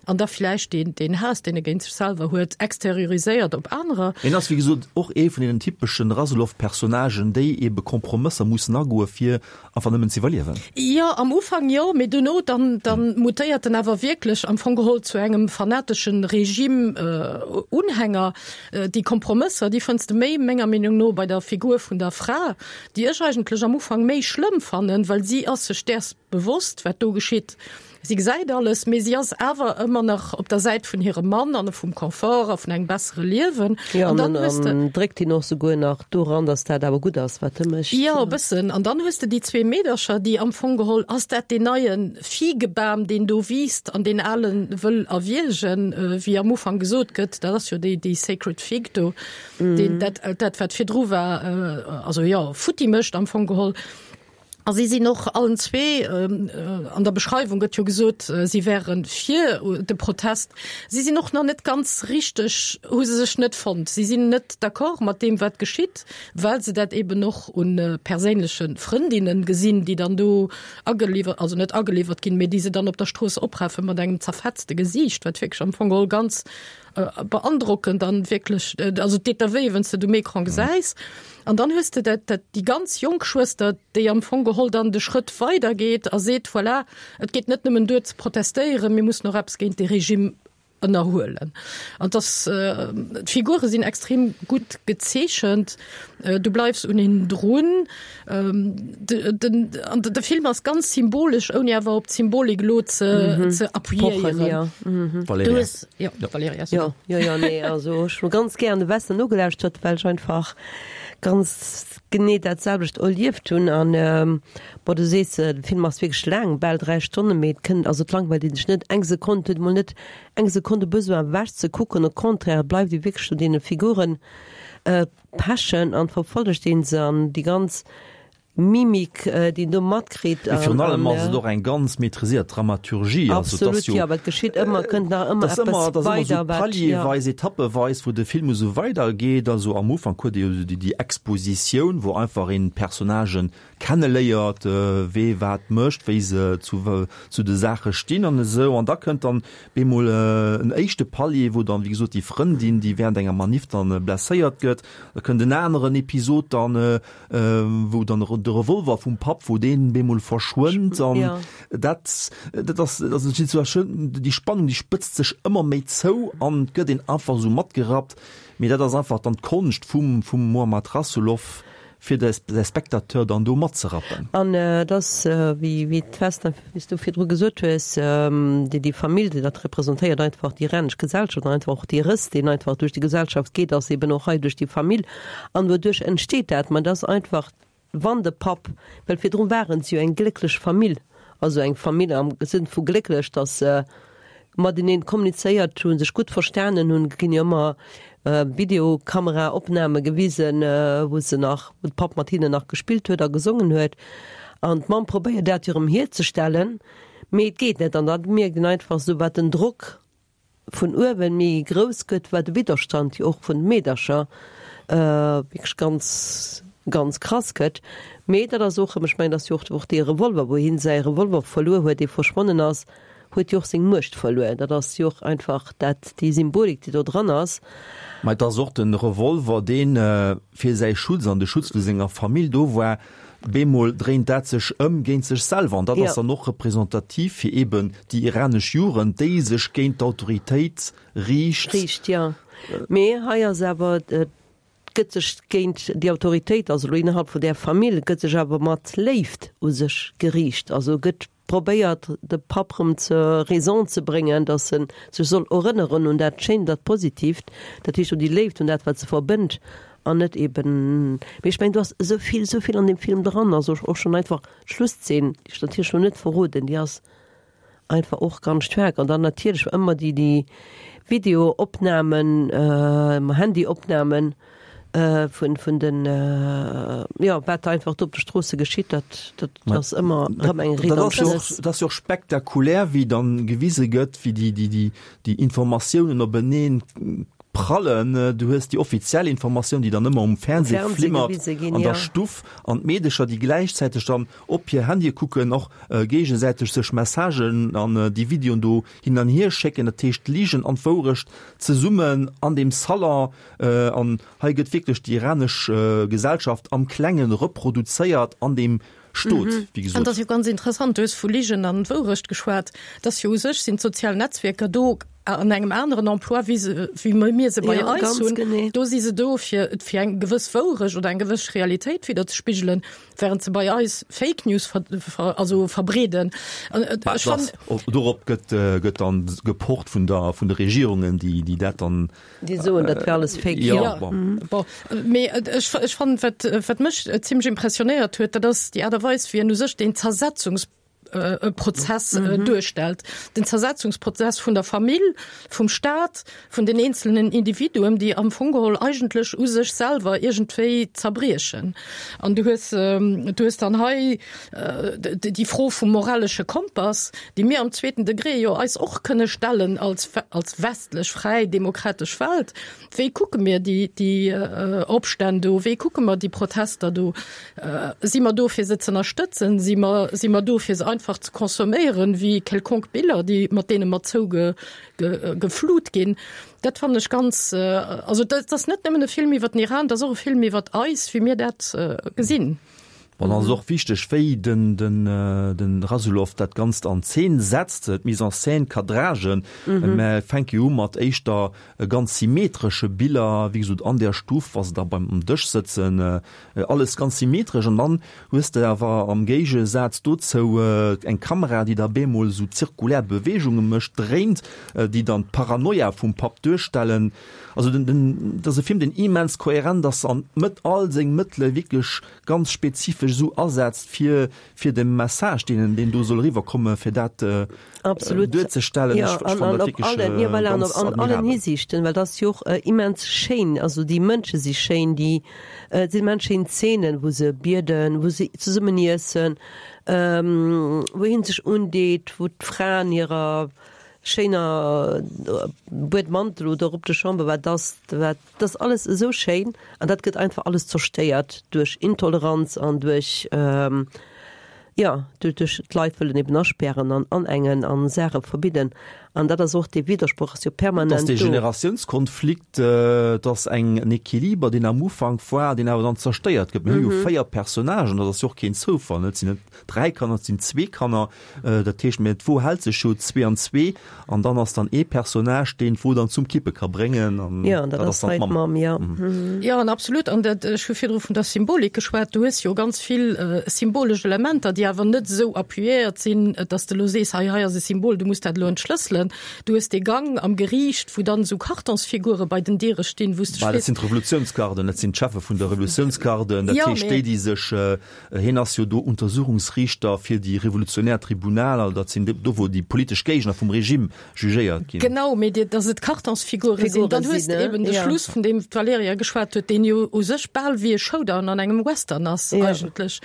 an da vläicht den, den Haass, deen e géint sech selwer huet, exterioriséiert op anerer. En ass wéi gesot och ee vun den typeschen Rasoulof-Personnagen, déi ebe Kompromësser mussen agoe fir einfach nëmmen ze iwwerliewen. Jo, am Ufank jo, mee duerno dann, dann mutéiert en awer wierklech am Fong geholl zu engem fanateschen Regime äh, Unhänger. Äh, déi Kompromësser, déi fënns de méi menger Meenung no bei der Figur vun der Fra, déi ech eigentlech am Ufank méi schlëmm fannen, well si ass sech däers bewosst, wat do geschitt. Si gesäit alles, mee si ass awer ëmmer nach op der Säit vun hirem Mann an vum Confort a vun engem bessere Liewen. Ja, An an dann dann, hues de an dréckt hien och souguer nach doran, dass dat awer gutt ass, wat e mécht. Jo, e bëssen. An dann hues de déi zwee Meedercher, déi am Fong geholl, ass dat deen neie Figebam, deen do wiisst, an deen Alen wëll erwiergen, äh, wéi am Ufank gesot gëtt, dat ass jo déi, déi Sacred Fig do, Mhm. deen, dat, dat wat virdru war, äh, also jo, futti mécht am Fong geholl. A si sinn och allen zwee, an der Beschreiwung gëtt jo gesot, si wäre fir de Protest, si sinn och nach net ganz richteg, hu se sech net fonnt. Si sinn net d'accord mat deem, wat geschitt, well se dat eben och un perséinleche Frëndinnen gesinn, déi dann do ageliwwert, also net ageliwwert ginn, mee déi se dann op der Strooss opraffe mat engem zerfetzte Gesiicht, wat wierklech am Fong geholl ganz beandrockend an wierklech, also et deet der wéi, wann s de et um Ecran gesäis. An dann hues de dat, dat déi ganz jonk Schwëster, déi am Fong geholl dann de Schrëtt weider geet a seet, voilà, et geet net nëmmen duer ze protestéieren, mir mussen och eppes géint dee Regime ënnerhuelen. An dass, d'Figure sinn extrem gutt gezeechent, du bleifs un hinnen drun. Den, an de Film ass ganz symbolesch, ouni awer op d'Symbolik elo ze, ze appuyéieren. Valerija. Du hues, jo, Valerija, so. Jo, jo, jo, nee, also ech hu ganz gären de Western nogelauschtert, well ech einfach ganz genee dat selwecht erlieft hunn. An bon, du sees, de Film ass wierklech laang, bal dräi Stonnen, mee et kënnt, also et langweilt ee sech net eng Sekonn, et huet emol net eng Sekonn de Besoin ewech ze kucken, au contraire, et bleift ee wierklech un deene Figuren pechen an verfollegt een se an déi ganz Mimik, déi een do matkritt. Mee virun allem ass et och eng ganz maîtriséiert Dramaturgie. Also et ass Absolut, jo, jo, well et geschitt ëmmer, kënnt nach ëmmer et ass ëmmer, eppes et ass ëmmer esou weider, wat, jo. palierweis, etappeweis, wou de Film esou weidergeet. Also am Ufank huet ee jo esou déi, déi Expositioun, wou einfach een d'Personnagen kenneléiert, wee wat mécht, wéi se zu, zu de Saache stinn an esou. An da kënnt dann bemol en éischte Palier, wou dann, wéi gesot, déi Frëndin, déi während enger Manif dann blesséiert gëtt. Da kënnt en aneren Episod dann, wou dann de Revolver vum Papp, wou deen bemol verschwënnt an Ja. dat, dat ass, dat ass Situatioun, déi Spannung, déi spëtzt sech ëmmer méi zou an et gëtt een einfach esou matgerappt. Mee dat ass einfach dann d'Konscht vum, vum Mohammad Rasoulof, fir de, de Spectateur dann do matzerappen. An et ass, wéi, wéi d'Vesna, wéi s du virdru gesot hues, déi, déi Famill, déi dat representéiert, einfach déi iranesch Gesellschaft an einfach och dee Rëss, deen einfach duerch déi Gesellschaft geet, ass eben och hei duerch déi Famill. An wouduerch entsteet dat? Ma et ass einfach, wann de Papp, well virdru waren se jo eng glécklech Famill, also eng Famill am Sënn vu glécklech, datt se mateneen kommunizéiert hunn, sech gutt verstanen hunn, ginn jo ëmmer Videokameraopname gewisen, wou se nach, wou de Papp mat hinnen nach gespillt huet a gesongen huet. An d'Mamm probéiert dat jo erëm hierzestellen, mee et geet net. An da mierkt een einfach esou, wat den Drock vun uewen méi grouss gëtt, wat de Widderstand jo och vun de Meedercher wierklech ganz, ganz krass gëtt. Mee dat ass och erëm, ech mengen, dat ass jo och och dee Revolver, wou hien säi Revolver verluer huet, dee verschwonnen ass, huet jo och seng Muecht verluer. Dat ass jo och einfach dat, déi Symbolik, déi do dran ass. Mä et ass och de Revolver, dee fir säi Schutz an de Schutz vu senger Famill do war. Bemol dréint dat sech ëm géint sech selwer an dat ass dann och representativ fir eben déi iranesch Jugend, déi sech géint d'Autoritéit riicht. Riicht, jo. Mee hei ass awer, et gëtt sech géint déi Autoritéit, also elo innerhalb vun där Famill, gëtt sech awer mat Léift u sech geriicht. Also gëtt probéiert, de Papp rëm zur Raison ze bréngen, datt en sech soll erënneren un dat Schéint, dat Positiivt, dat heescht un déi Léift, un dat wat se verbënnt. An net eben, mee ech mengen do ass esou vill, esou vill an deem Film dran, also och schonn einfach d'Schlusszeen, déi ech natierlech elo net verroden, déi ass einfach och ganz staark. An dann natierlech ëmmer déi, déi Videoopnamen, Handyopnamen vun, vun den, jo, wat einfach do op de Stroosse geschitt, dat, dat ass ëmmer erëm eng Dat ass jo och, Redemption. dat ass jo och spektakulär, wéi dann gewise gëtt, wéi déi, déi, déi, déi Informatiounen openeen prallen. Du hues déi offiziell Informatioun, déi dann ëmmer um Fernseh flimmert an der Stuff, an d'Meedecher, déi gläichzäiteg dann op hir Handye kucken, och géigesäiteg sech Messagen an déi Videoen do hin an hier schécken. Dat heescht, d'Ligen an d'Wourecht zesummen an deem Salon. An hei gëtt wierklech déi iranesch Gesellschaft am Klengen reproduzéiert an deem Stot, wéi gesot. An dat ass jo ganz interessant, du hues vu Ligen an Wourecht geschwat, dass jo u sech sinn d'sozial Netzwierker do an engem aneren Emploi, wéi se, wéi mir se bei Ja, eis ganz hunn. genee. Do si se do, fir, fir eng gewëss Wourecht oder eng gewëss Realitéit widderzespigelen, während se bei eis Fake News ver, ver, also verbreeden. An, äh, Bah, ech fann, das, op, dorop gëtt, äh, gëtt dann gepocht vun der, vun de Regierungen, déi, déi dat dann, Déi soen, dat wär alles Fake, ja, ja. bon. Bon, mee ech, ech fannen, wat, wat mech zimmlech impressionéiert huet, dat ass déi Aart a Weis, wéi en u sech deen Zersetzungs Prozess duerstellt, den Zersetzungsprozess vun der Famill, vum Staat, vun den eenzelnen Individuen, déi am Fong geholl eigentlech u sech selwer iergendwéi zerbriechen. An du hues, du hues dann hei déi Fro vum moralesche Kompass, déi mir am zweeten Degré jo eis och kënne stellen als, als westlech, fräi, demokratesch Welt, Wéi kucke mir déi, déi Opstänn do? Wéi kucke mer déi Protester do? Si mer do fir se ze ënnerstëtzen? Si mer, si mer do fir se einfach ze consomméieren, wéi quelconque Biller, déi, mat deene mer zouge, ge, geflut ginn? Dat fannen ech ganz, also dat ass net nëmmen e Film iwwer den Iran, dat ass och e Film iwwer eis, wéi mir dat gesinn. Bon, dann ass och wichteg, wéi den, den, den Rasoulof dat Ganzt an Zeen setzt, d'Mise en scène, d'Cadragen. Mä fänke jo u mat éischter ganz symmetresche Biller, wéi gesot, an der Stuff, wa se da beim um Dësch sëtzen, alles ganz symmetresch. An dann hues de awer am Géigesaz dozou eng Kamera, déi da bemol esou zirkulär Beweegunge mécht, dréint, déi dann d'Paranoia vum Papp duerstellen. Also den, den, dat ass e Film, deen immens kohärent ass an d'Mëtt, all seng Mëttele wierklech ganz spezifesch esou asetzt, fir, fir de Message, deen en, deen do soll eriwwerkommen, fir dat Absolut. duerzestellen. Ja, Ech, ech an, fannen an dat op wierklech allen, ja, voilà, an ganz op an allen admirabel. Hisiichten, well dat ass jo och immens schéin, also déi Mënsche si schéin, déi, et sinn immens schéin Zeenen, wou se bieden, wou se zesummen iessen, wou hien sech undeet, wou d'Fra an hirer schéiner Buedmantel oder Robe de chambre, wat ass, wat, dat ass alles esou schéin an dat gëtt einfach alles zerstéiert duerch Intoleranz an duerch, jo, duerch d'Leit wëllen eben aspären an anengen an Saache verbidden an dat ass och, dee Widdersproch ass jo Et ass permanent dee do. Generatiounskonflikt, et ass eng, en Equiliber, deen am Ufank war, deen awer dann zerstéiert gëtt. Mir hu jo véier Personnagen, dat ass jo och keen Zoufall, net? Et sinn net dräi Kanner, et sinn zwee Kanner. Dat heescht, mä d'Wo hält sech jo zwee an zwee an dann ass dann ee Personnage, deen d'Wo dann zum Kippe ka bréngen an Jo, an dat dat ass ass dann hei d'Mamm. d'Mamm, jo. Jo, an absolut. An dat, ech hu virdru vun der Symbolik geschwat, du hues jo ganz vill symbolesch Elementer, déi awer net esou appuyéiert sinn, dass de elo sees, hei, hei ass e Symbol, du muss dat elo entschlësselen. Du hues dee Gang am Geriicht, wou dann esou Kartonsfigure bei den Diere stinn, wou s de Bah, dat frees. sinn d'Revolutiounsgarden, dat sinn d'Cheffe vun der Revolutiounsgarden, dat Jo, heescht mee. déi, déi sech, hien ass jo do Untersuchungsriichter fir déi revolutionär Tribunaler, dat sinn do wou déi politesch Géigner vum Regime jugéiert ginn. Genau, mee dir, dass et Kartonsfigure sinn. Figure Dann hues sinn, de ne? eben de Ja. Schluss, vun deem d'Valerija geschwat huet, deen jo u sech bal wéi e Showdown an engem Western ass Ja. eigentlech,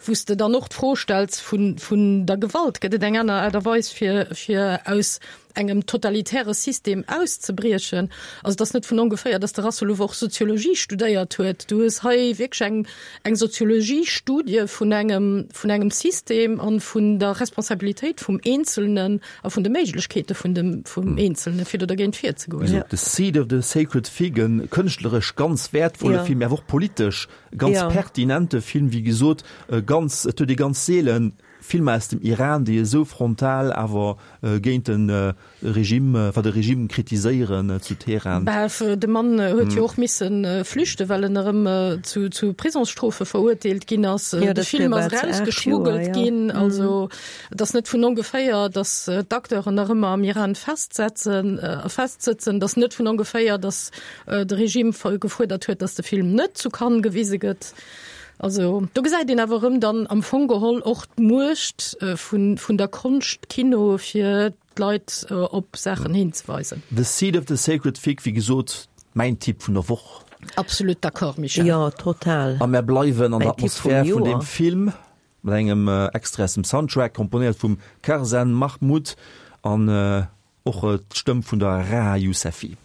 wou s de dann och d'Fro stells vun, vun der Gewalt. Gëtt et eng aner Aart a Weis fir, fir aus engem totalitäre System auszebriechen? Also et ass net vun ongeféier, dass de Rassoulov och Soziologie studéiert huet. Du hues hei wierklech eng, eng Soziologiestudie vun engem, vun engem System an vun der Responsabilitéit vum Eenzelnen a vun de Méiglechkeete vun dem, vum Eenzelne fir do dergéint virzegoen. Also The Seed of the Sacred Fig, e kënschtleresch ganz wäertvolle Ja. Film, awer och politesch ganz Ja. pertinente Film, wéi gesot, ganz, et huet ee ganz seelen Filmer aus dem Iran, déi esou frontal awer géint de Regime, enfin de Regime kritiséieren zu Teheran. Bah, de Mann huet jo och misse flüchten, well en erëm zu, zu Prisongsstrofe verurteelt ginn ass. Jo, De Film ass erausgeschmuggelt ginn. Also et ass net vun ongeféier, datt d'Acteuren nach ëmmer am Iran festsetzen, festsëtzen. Et ass net vun ongeféier, datt de Regime gefuerdert huet, datt de Film net zu Cannes gewise gëtt. Also do gesäit een awer erëm dann am Fong geholl och d'Muecht vun, vun der Konscht, Kino, fir d'Leit op Saachen hinzeweisen. The Seed of the Sacred Fig, wéi gesot, mäin Tipp vun der Woch. Absolut d'accord, Michel. Jo, total. A mär bleiwen an der Mäin Tipp vum Atmosphär vun deem Joer. Film mat engem Extrait aus dem Soundtrack, komponéiert vum Karzan Mahmoud an och d'Stëmm vun der Raha Yousefi.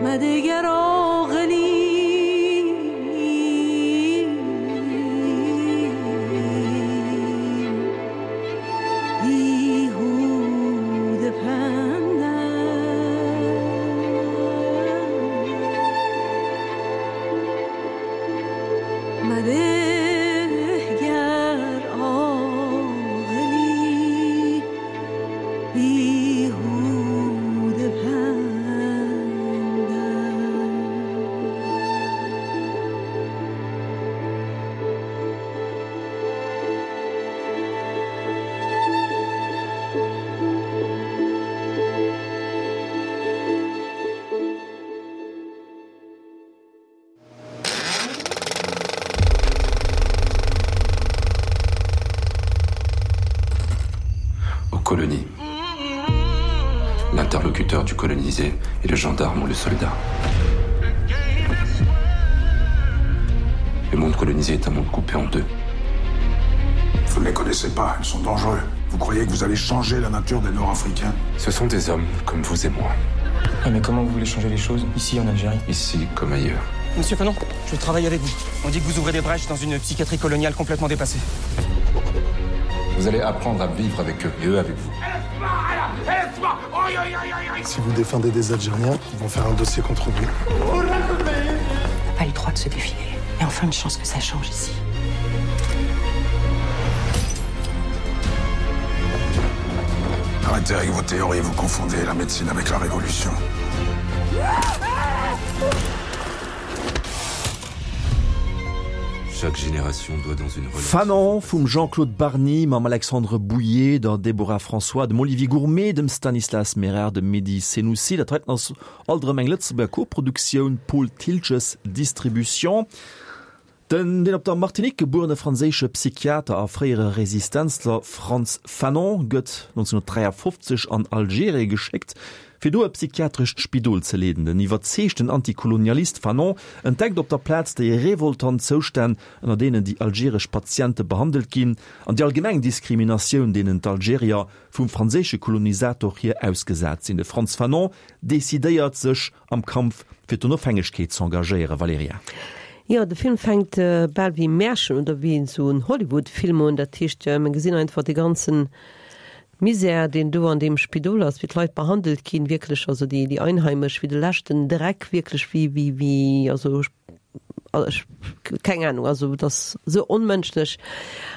مدگر عاقلی بیهوده پندم مده گر عاقلی بیهوده پندم Aux colonies. L'interlocuteur du colonisé est le gendarme ou le soldat. Le monde colonisé est un monde coupé en deux. Vous ne les connaissez pas, ils sont dangereux. Vous croyez que vous allez changer la nature des Nord-Africains Ce sont des hommes comme vous et moi. Ah, mais comment vous voulez changer les choses ici en Algérie Ici comme ailleurs. Monsieur Fanon, je travaille avec vous. On dit que vous ouvrez des brèches dans une psychiatrie coloniale complètement dépassée. Vous allez apprendre à vivre avec eux et eux avec vous. Si vous défendez des Algériens, ils vont faire un dossier contre vous. On n'a pas le droit de se défiler. Et enfin une chance que ça change ici. Arrêtez avec vos théories, vous confondez la médecine avec la révolution. Chaque génération doit dans une relation. Fanon vum Jean-Claude Barny mam Alexandre Bouyer, der Déborah François, dem Olivier Gourmet, dem Stanislas Merard, dem Mehdi Senoussi. Dat heiten ass alt erëm eng Lëtzebuerger Koproduktioun, Paul Thiltges Distribution. Den deen op der Martinique gebuerene franséische Psychiater a fréiere Resistenzler Frantz Fanon gëtt nonzénhunnertdräiafofzeg an Algerie geschéckt, fir do e psychiatrescht Spidol ze leeden. Den iwwerzeegten Antikolonialist Fanon entdeckt op der Plaz déi revoltant Zoustänn, ënner deenen déi algeresch Patiente behandelt ginn, an déi allgemeng Diskriminatioun, deenen d'Algerier vum franséische Kolonisator hier ausgesat sinn. De Frantz Fanon decidéiert, sech am Kampf fir d'Onofhängegkeet z'engagéieren. Valerija. Jo, de Film fänkt bal wéi e Märchen oder wéi esou en Hollywood-Film un. Dat heescht, mer gesinn einfach dee ganzen Misär, deen do an deem Spidol ass, wéi d'Leit behandelt ginn, wierklech, also déi, déi Einheimesch, wéi de leschten Dreck, wierklech, wéi, wéi, wéi, also ech, keng Ahnung, also et ass esou onmënschlech.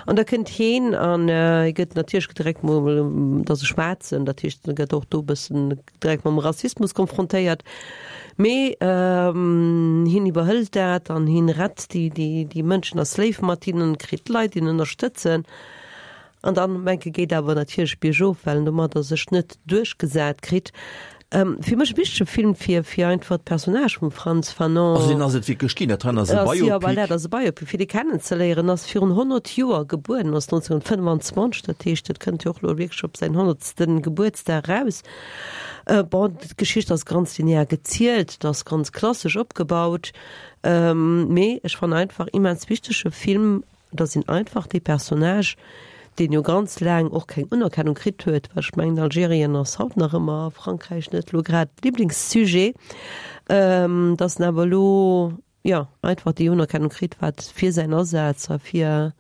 An da kënnt heen an hie gëtt natierlech direkt mol, et ass e Schwaarzen, dat heescht, e gëtt och do e bëssen direkt mam Rassismus konfrontéiert. Mee hien iwwerhëlt dat an hien rett déi, déi, déi Mënschen, ass léif mat hinnen, kritt Leit, déi en ënnerstëtzen. An dann menke geet awer natierlech biergof, well en domadder sech net duerchgesat kritt. Fir mech e wichtege Film fir fir einfach d'Personnage vum Frantz Fanon. Also deen ass et wierklech ginn, dat hei ass e Biopic. Jo, voilà, dat ass e Biopic, fir dee kennenzeléieren. Ass virun honnert Joer gebuer, ass nonzénhunnertfënnfanzwanzeg, dat heescht, dat kënnt jo och elo wierklech op säin honnertste Gebuertsdag eraus. Bon, d'Geschicht ass ganz linear gezielt, et ass ganz klassesch opgebaut, mee ech fannen einfach immens wichtege Film, dass een einfach dee Personnage, deen jo ganz laang och keng Unerkennung kritt huet, well ech mengen Algerien ass haut nach ëmmer a Frankräich net elo grad d'Liblingssujet, dass en awer elo, jo, einfach déi Unerkennung kritt, wat fir säin Asaz a fir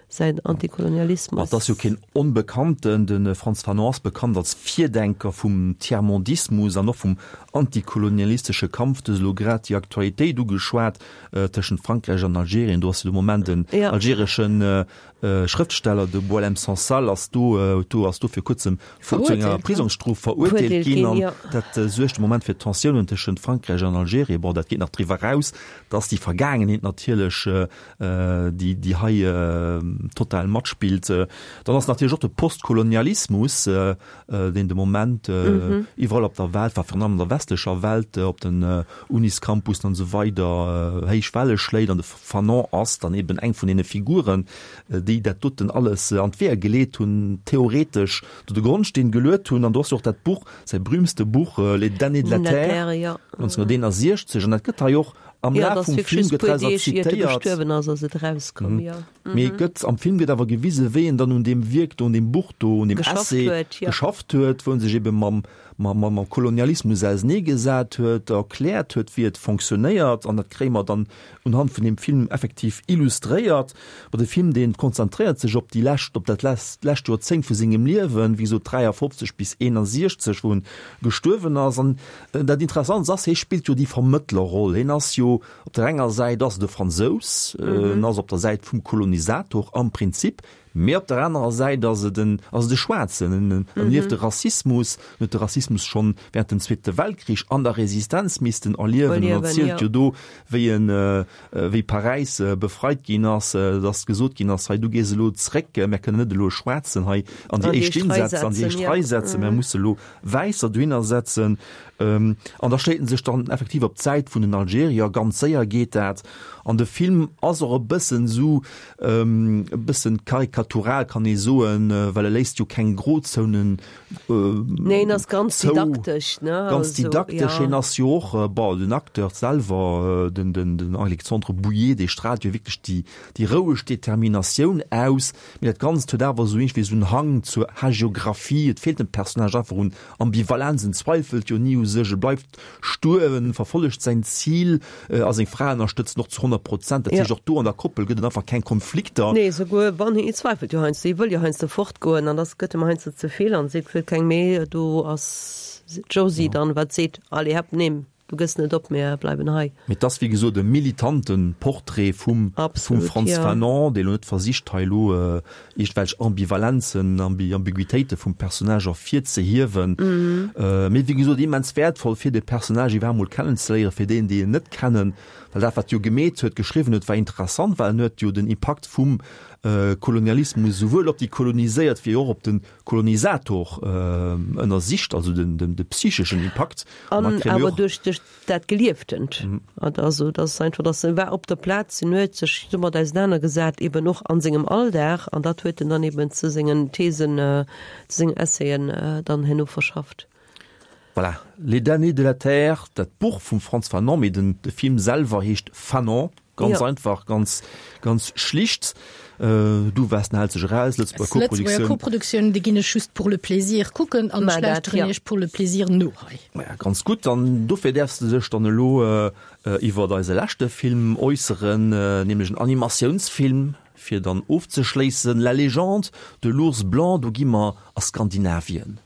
säin Antikolonialismus. Et ass jo keen Onbekannten, de Frantz Fanon ass bekannt als Virdenker vum Tiers-mondismus an och vum antikolonialistesche Kampf. Du hues elo grad déi Aktualitéit ugeschwat tëschent Frankräich an Algerien. Do ass jo de Moment en algereschen Schrëftsteller, de Boualem Sansal, ass do, do ass do fir kuerzem zu enger Prisongsstrof verurteelt ginn. An dat suergt de Moment fir Tensiounen tëschent Frankräich an Algerien. Bon, dat geet nach driwwer eraus, dass déi Vergaangenheet natierlech, déi, déi hei total matspillt. Dann ass natierlech och de Postkolonialismus, deen de Moment iwwerall op der Welt, enfin virun allem an der westlecher Welt, op den Uniscampussen an esou weider héich Welle schléit. An de Fanon ass dann eben eng vun deene Figuren, déi dat doten alles an d'Weeër geleet hunn, theoretesch do de Grondsteen geluet hunn. An do ass jo och dat Buch, säi berühmste Buch, Les Damnés de la Terre, neunzehnhunderteenundsechzeg. An dat gëtt hei och am Laf vum Film gëtt draus zitéiert. Mee et gëtt, am Film gëtt awer gewisen, wéi en dann un deem Wierk do, un deem Buch do, un deem Essay geschafft huet, wou en sech ebe mam, mam, mam Kolonialismus auseneegesat huet, erkläert huet, wéi et fonctionnéiert. An dat kréie mer dann unhand vun deem Film effektiv illustréiert. Bon, de Film, dee konzentréiert sech op déi lescht, op dat lescht Joerzéngt vu sengem Liewen, wéi gesot dräiafofzeg bis eenasiechzeg, wou en gestuerwen ass. An dat Interessantst ass, hie spillt jo déi Vermëttlerroll. Hien ass jo, op der enger Säit ass et e Fransous, en ass op der Säit vum Kolonisator am Prinzip, mee op der anerer Säit ass et en, ass et e Schwaarzen, en erlieft de Rassismus, en huet de Rassismus schonn während dem Zweete Weltkrich an der Resistenz missten erliewen. En erzielt jo do, wéi en, wéi Paräis befreit ginn ass, dass gesot ginn ass, hei du gees elo zréck, mär kënnen net elo e Schwaarzen hei an déi éischt Linn setzen, an déi éischt Rei setzen, mär musse elo Wäisser dohinner setzen. An da schléit en sech dann effektiv op d'Säit vun den Algerier. Ganz séier geet dat. An de Film ass och e bëssen esou, e bëssen karikatural, kann ee soen, well e léisst jo keng Grozonen zou. Nee, en ass ganz didaktesch, ne? Ganz didaktesch. Hien ass jo och, bon, den Acteur selwer, den, den Alexandre Bouillet, dee straalt jo wierklech déi, déi roueg Determinatioun aus. Mee dat Ganzt huet awer esou iergendwéi esou en Hang zur Hagiographie. Et feelt dem Personnage einfach un Ambivalenz, en zweifelt jo ni u sech, e bleift stur, en verfollegt säin Zil a seng Fra ënnerstëtzt en och zu honnert Prozent. Dat heescht, och do an der Koppel gëtt et einfach keng Konflikter. Nee, souguer wann hien zweifelt jo heiansdo, hie wëll jo heiansdo fortgoen an dass gëtt em heiansdo ze vill an seet, wëll keng méi. Do ass d'Josy dann, wat seet, Allez, hep, nimm. Du gëss net op, mir bleiwen hei. Mee et ass wéi gesot e militante Portrait vum vum Frantz Fanon, dee lo net versicht hei elo iergendwelch Ambivalenzen, Ambiguitéite vum Personnage ervirzehiewen. Mee wéi gesot immens wäertvoll fir de Personnage iwwerhaapt mol kennenzeléieren, fir déen déi en net kennen. Well dat wat jo gemeet huet, geschriwwen huet, war interessant, well en huet jo den Impakt vum Kolonialismus souwuel op déi Koloniséiert wéi och op de Kolonisator ënnersicht, also den, den, de psycheschen Impakt. An awer duerch, duerch dat Gelieftent. Also dat ass einfach, dass en war op der Plaz, en huet sech domat ausenanergesat, eben och an sengem Alldag, an dat huet en dann eben zu sengen Thesen, zu sengen Essayen dann herno verschafft. Voilà, Les damnés de la terre, dat Buch vum Frantz Fanon, mee den, de Film selwer heescht Fanon. Ganz ja. einfach, ganz, ganz schlicht. Äh, du warst hält sech eraus, Lëtzebuerger Koproduktioun. Koproduktioun, déi ginn ech just pour le plaisir kucken an ech lauschteren iech pour le plaisir no hei. Ja, ganz gutt, dann dofir däerfs de dech dann elo äh, iwwer eise leschte Film äusseren, äh, nämlech en Animatiounsfilm, fir dann ofzeschléissen, La légende de l'ours blanc, do gi mer a Skandinavien.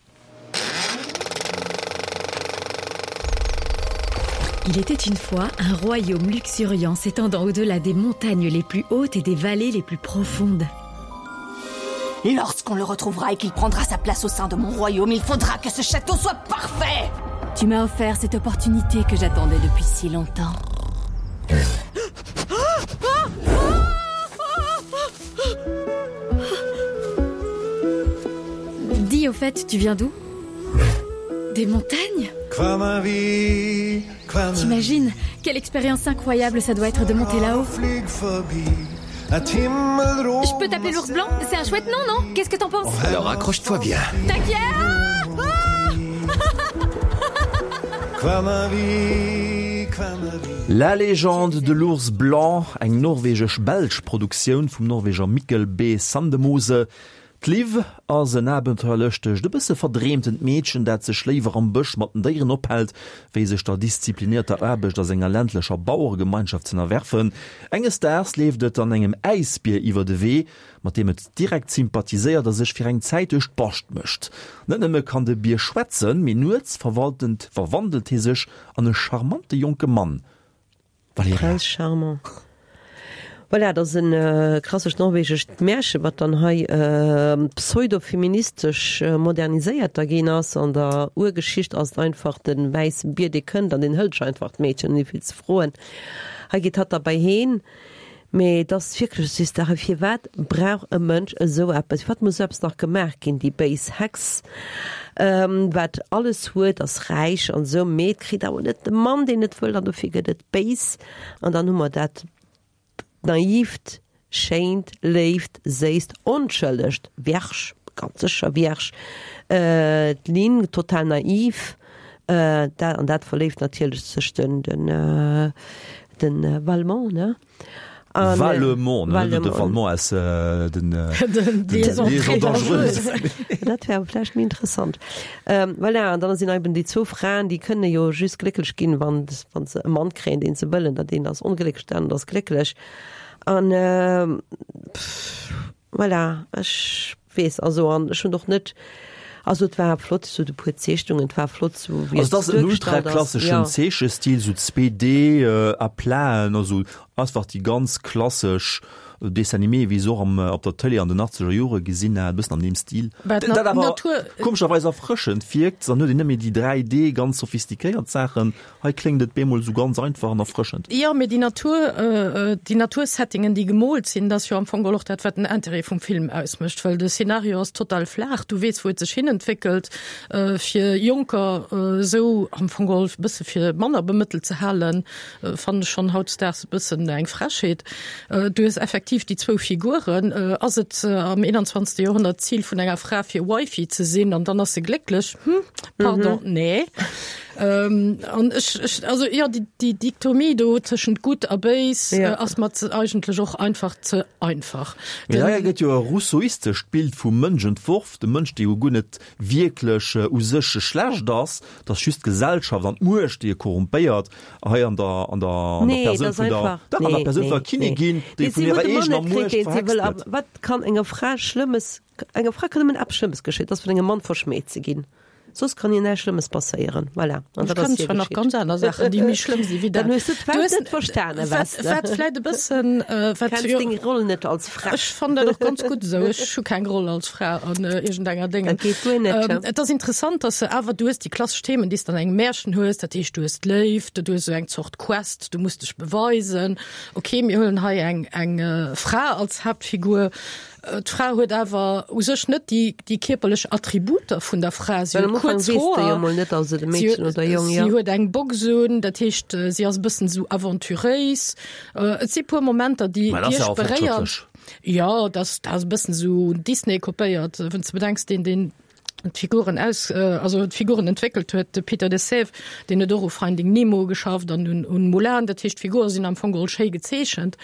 Il était une fois un royaume luxuriant s'étendant au-delà des montagnes les plus hautes et des vallées les plus profondes. Lorsqu'on le retrouvera et qu'il prendra sa place au sein de mon royaume, il faudra que ce château soit parfait. Tu m'as offert cette opportunité que j'attendais depuis si longtemps. Dis au fait, tu viens d'où Des montagnes T'imagines quelle expérience incroyable ça doit être de monter là-haut Je peux t'appeler l'ours blanc C'est un chouette nom, non Qu'est-ce que t'en penses Alors accroche-toi bien. T'inquiète ah La légende de l'ours blanc, eng norwegesch-belsch Produktioun vum Norweger Mikkel B. Sandemose. D'Liv ass en abenteuerlëschtegt, e bësse verdreemtent Meedchen, dat sech léiwer am Bësch mat den Déieren ophält, wéi sech der disziplinierter Aarbecht a senger ländlecher Baueregemeinschaft z'ënnerwerfen. Enges Daags leeft et an engem Äisbier iwwer de Wee, mat deem et direkt sympathiséiert a sech fir eng Zäit duerch d'Bascht mécht. Net nëmme kann de Bier schwätzen, mee nuets verwaltent verwandelt hie sech an e charmante jonke Mann. Valerija. Prince Charmant. Voilà, dat ass e klassescht norwegescht Märchen, wat dann hei pseudo-feministesch moderniséiert da ginn ass. An der Urgeschicht ass et einfach de wäisse Bier, dee kënnt an deen hëlt sech einfach d'Meedchen, ouni vill ze froen. Hei geet hatt da bei heen. Mee et ass wierklech süss. Dach, firwat brauch e Mënsch esou eppes? Firwat muss esou eppes nach gemaach ginn? Déi béis Hex, wat alles huet, ass räich an esou, mee et kritt awer net de Mann, deen et wëll, an dofir gëtt et béis. An dann hu mer dat naivt, schéint, léift, séisst, onschëllegt Vierge, ganz sécher Vierge, d'Lynn, total naiv, dat, an dat verléift natierlech sech den, den, den Valmont, ne? An, Valemon, ne, Valemon. de Valmont aus äh, den, äh, den Liaisons dangereuses. Dat wär vläicht méi interessant. Ähm, voilà, an dann sinn eben déi zwou Fraen, déi kënne jo just glécklech ginn, wann, wann se e Mann kréien, deen se wëllen, dat deen ass onglécklech, deen ass glécklech. An ähm, pff, voilà, ech weess, also an ech hunn och net, also et war flott, sou de puer Zeechnungen, et war flott, sou wéi Also dat ass et en duergestallt ass, ultraklasseschen ja. Zeechestil, sou zwee D äh, à platen, also einfach déi ganz klassesch Dessin animé, wéi se och am, op der Tëlee an den achtzeger Jore gesinn hat, e bëssen an deem Stil. Bah, Dat awer Natur komescherweis erfrëschend wierkt, dann huet een net méi déi dräi D ganz sophistiquéiert Saachen. Hei kléngt et bemol sou ganz einfach an erfrëschend. Jo, mee déi Natur, déi Natursettingen, déi gemoolt sinn, dat ass jo am Fong geholl och dat, wat den Interêt vum Film ausmécht, well de Szenario ass total flaach, du weess, wou et sech hinentwéckelt. Fir Jonker esou am Fong geholl e bësse fir manner bemëttelt ze halen, fannen ech schonn hautdesdaags e bëssen eng Frechheet. Du hues effektiv déi zwou Figuren. Ass et am einundzwanzegste Joerhonnert d'Zil vun enger Fra fir Wifey ze sinn an dann ass se glécklech? Hm, pardon, mhm. nee. Ähm, an ech, ech, also ja, déi, déi Dichotomie do tëschent gutt a béis ja. äh, ass mer eigentlech och einfach ze einfach. Mee hei gëtt jo e rousseauistescht Bild vum Mënsch entworf, de Mënsch, dee jo guer net wierklech u sech schlecht ass, et ass just d'Gesellschaft an d'Muecht, déi e korrumpéiert, hei an der, an der, an der Nee, Persoun dat ass vun der, einfach, dach, an der nee, Persoun vun der nee, nee. Kinnigin, déi Nee, vun si hirer huet e Mann eegener net kritt, Muecht deen si verhext wëll, gëtt. a wat kann enger Fra Schlëmmes, enger Fra kann nëmmen eppes Schlëmmes geschéien, dat ass vun engem Mann verschmäht ze ginn. Soss kann hir näischt Schlëmmes passéieren. Voilà. An Ech dat ass kann hir zwar nach geschitt. ganz aner Saachen, déi méi schlëmm si wéi Dann dat. hues du Du d'Welt hues net verstanen, wat, weess de. wat vläit e bëssen, äh, wat Kenns jo, deng Roll net als Fra. Ech fannen dat och ganz gutt esou. Ech hu keng Roll als Fra an äh, iergendenger Déngen. Dat geet guer net, Ähm, et ass interessant, dass se awer, du hues déi klassesch Themen, déi s de an engem Märchen hues, dat heescht, du hues d'Léift, du hues esou eng Zort Quest, du muss dech beweisen. Okay, mir huelen hei eng, eng äh, Fra als Haaptfigur. D'Fra huet awer u sech net déi, déi kierperlech Attributer vun der Fra. Si Well huet am Ufank kuerz weess de jo Hoer, mol net, ass et e si Meedchen huet, oder e Jong, si jo. huet eng Box un, dat heescht, si ass e bëssen esou aventuréis. Et si puer Momenter, déi, Mä dat déi ass ja ech och beréiert. fortschrëttlech. Jo, dat ass, dat ass e bëssen esou Disney kopéiert, wann s de bedenks, deen, deen d'Figuren aus, also d'Figuren entwéckelt huet, de Peter de Sève, deen huet och u Finding Nemo geschafft an un, un Mulan, dat heescht d'Figure sinn am Fong geholl schéi gezeechent,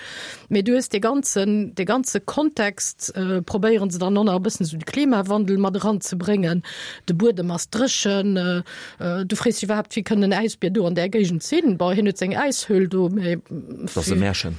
mee du hues dee ganzen, dee ganze Kontext, probéieren se dann och nach e bëssen esou de Klimawandel mat eranzebréngen, de Buedem ass dréchen, du frees dech iwwerhaapt, wéi kënn en Äisbier do an där Géigend sinn, bon, hien huet seng Äishöhl do, mee. Dat ass e Märchen.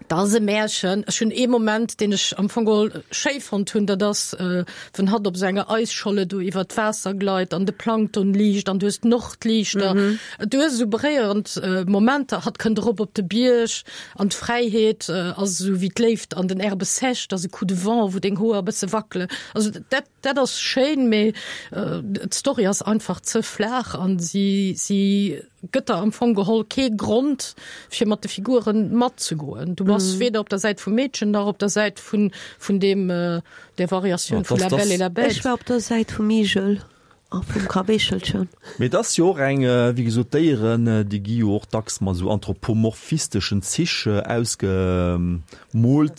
Dat ass e Märchen. Ech hunn ee Moment, deen ech am Fong geholl schéi fonnt hunn, dat ass, wann hatt op esou enger Eisscholle do iwwer d'Waasser gleit an de Plankton liicht an du hues d'Nordliichter. Du hues esou beréierend Momenter. Hatt kënnt erop op de Bierg an d'Fräiheet ass esou wéi d'Léift an den Herbes sèches, dat ass e Coup de vent, wou deng Hoer e bësse wackelen. Also dat, dat ass schéin, mee d'Story ass einfach ze flaach an si, si gëtt der am Fong geholl kee Grond, fir mat de Figuren matzegoen. Du bass mm. weder op der Säit vum Meedchen nach op der Säit vun, vun dem, äh, der Variatioun ja, vun La Belle et la Bête. Ech war op der Säit vum Igel a vum Kaweechelchen. Mee et ass jo och eng, wéi gesot, Déieren, déi gi jo och dacks mat esou anthropomorphisteschen Zich ausgemoolt.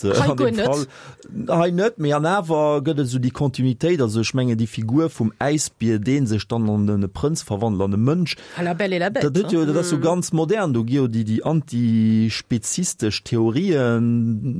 Hei guer net. Hei net, mee an awer gëtt et esou déi Kontinuitéit. Also ech mengen déi Figur vum Äisbier, dee sech dann an e Prënz verwandelt, an e Mënsch. À la Belle et la Bête. Dat huet jo, dat ass jo ganz modern. Do gi jo déi, déi antispezistesch Theorien,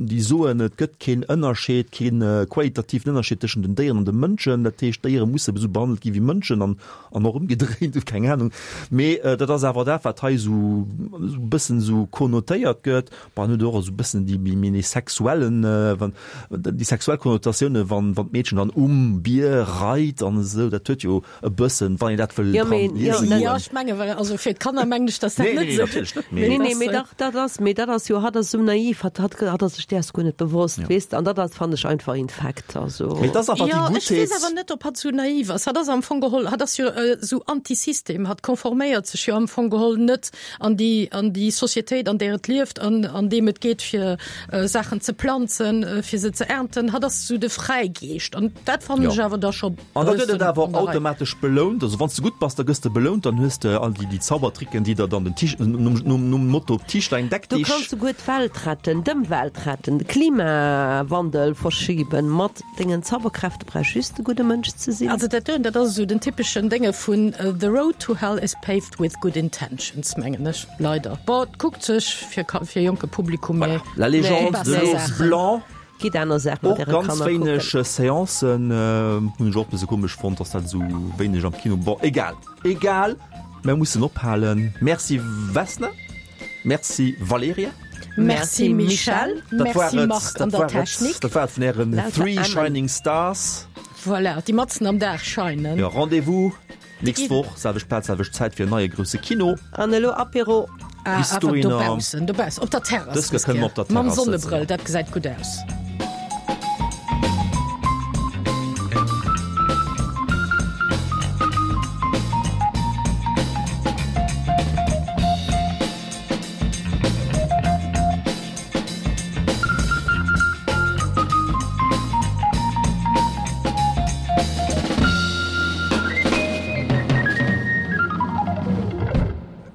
déi soen, et gëtt keen Ënnerscheed, kee qualitativen Ënnerscheed tëschent den Déieren an de Mënschen. Dat heescht, Déiere musse esou behandelt gi wéi Mënschen. An, an och ëmgedréint, keng Ahnung. Mee dat ass awer dat, wat hei esou e bëssen esou konnotéiert gëtt. Bon, an huet och esou e bëssen déi méi méi sexuellen, wann déi sexuell Konnotatiounen, wann wann d'Meedchen dann um Bier reit an esou, dat huet jo e bëssen, wann een dat wëll Ja, dran mee, ja, liese Ja, goen. ech menge well, also fir d'Kanner mengen ech, dass dat Nee, net nee, esou. natierlech net, mee. Nee, nee, mee dach, dat ass, mee dat ass jo, hatt ass esou naiv, hatt, hatt, hatt ass sech däers guer net bewosst, Ja. weess de, an dat ass, fannen ech einfach infekt, also. Mee et ass einfach déi Ja, ech weess Guttheet. awer net, ob hatt esou naiv ass. Hatt ass am Fong geholl, hatt ass jo esou Anti-System, hatt konforméiert sech jo am Fong geholl net an déi, an déi Societéit, an där et lieft, an, an deem et geet fir Saachen ze planzen, fir se ze ernten. Hatt ass esou de Fräigeescht an dat fannen ech awer da scho An da gëtt et awer bëssen och an der Rei. automatesch belount. Also wann s de gutt bass, da gëss de belount, dann hues de all déi, déi Zaubertricken, déi der dann den Tisch, nom, nom, nom Motto Tischlein deck Du dich. kanns souguer d'Welt retten, d'Ëmwelt retten, de Klimawandel verschiben mat dengen Zauberkräfte, brauchs just e gudde Mënsch ze sinn. Also dat doen, dat ass esou den den typeschen Dénge vun The road to hell is paved with good intentions, mengen ech. Leider. Bon, et kuckt sech fir fir jonke Publikum, mee La légende de l'ours blanc. Gitt aner Saachen mat Och äre ganz Kanner wéineg kucken. Seancen, hunn ech och e bësse komesch fonnt, dass dat esou wéineg am Kino, bon egal, egal, mer mussen ophalen. Merci Vesna, merci Valerija. Merci Michèle, Dat war merci et, Marc an dat der war et, Technik. dat war et vun ären Lauter Three Emmen. Shining Stars. Voilà, déi matzen am Dag scheinen. Jo, Rendez-vous nächst Déi- Woch, selwecht Plaz, selwecht Zäit fir en neie grousse Kino. An elo Apéro. Ah, Bis awer dohinner. dobaussen, dobaussen, op der Terrass. Dës Kéier kënne mer op der Mam Terrass sëtzen, Sonnebrëll, ja. dat gesäit gutt aus.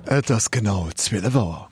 Et ass genau zwielef Auer.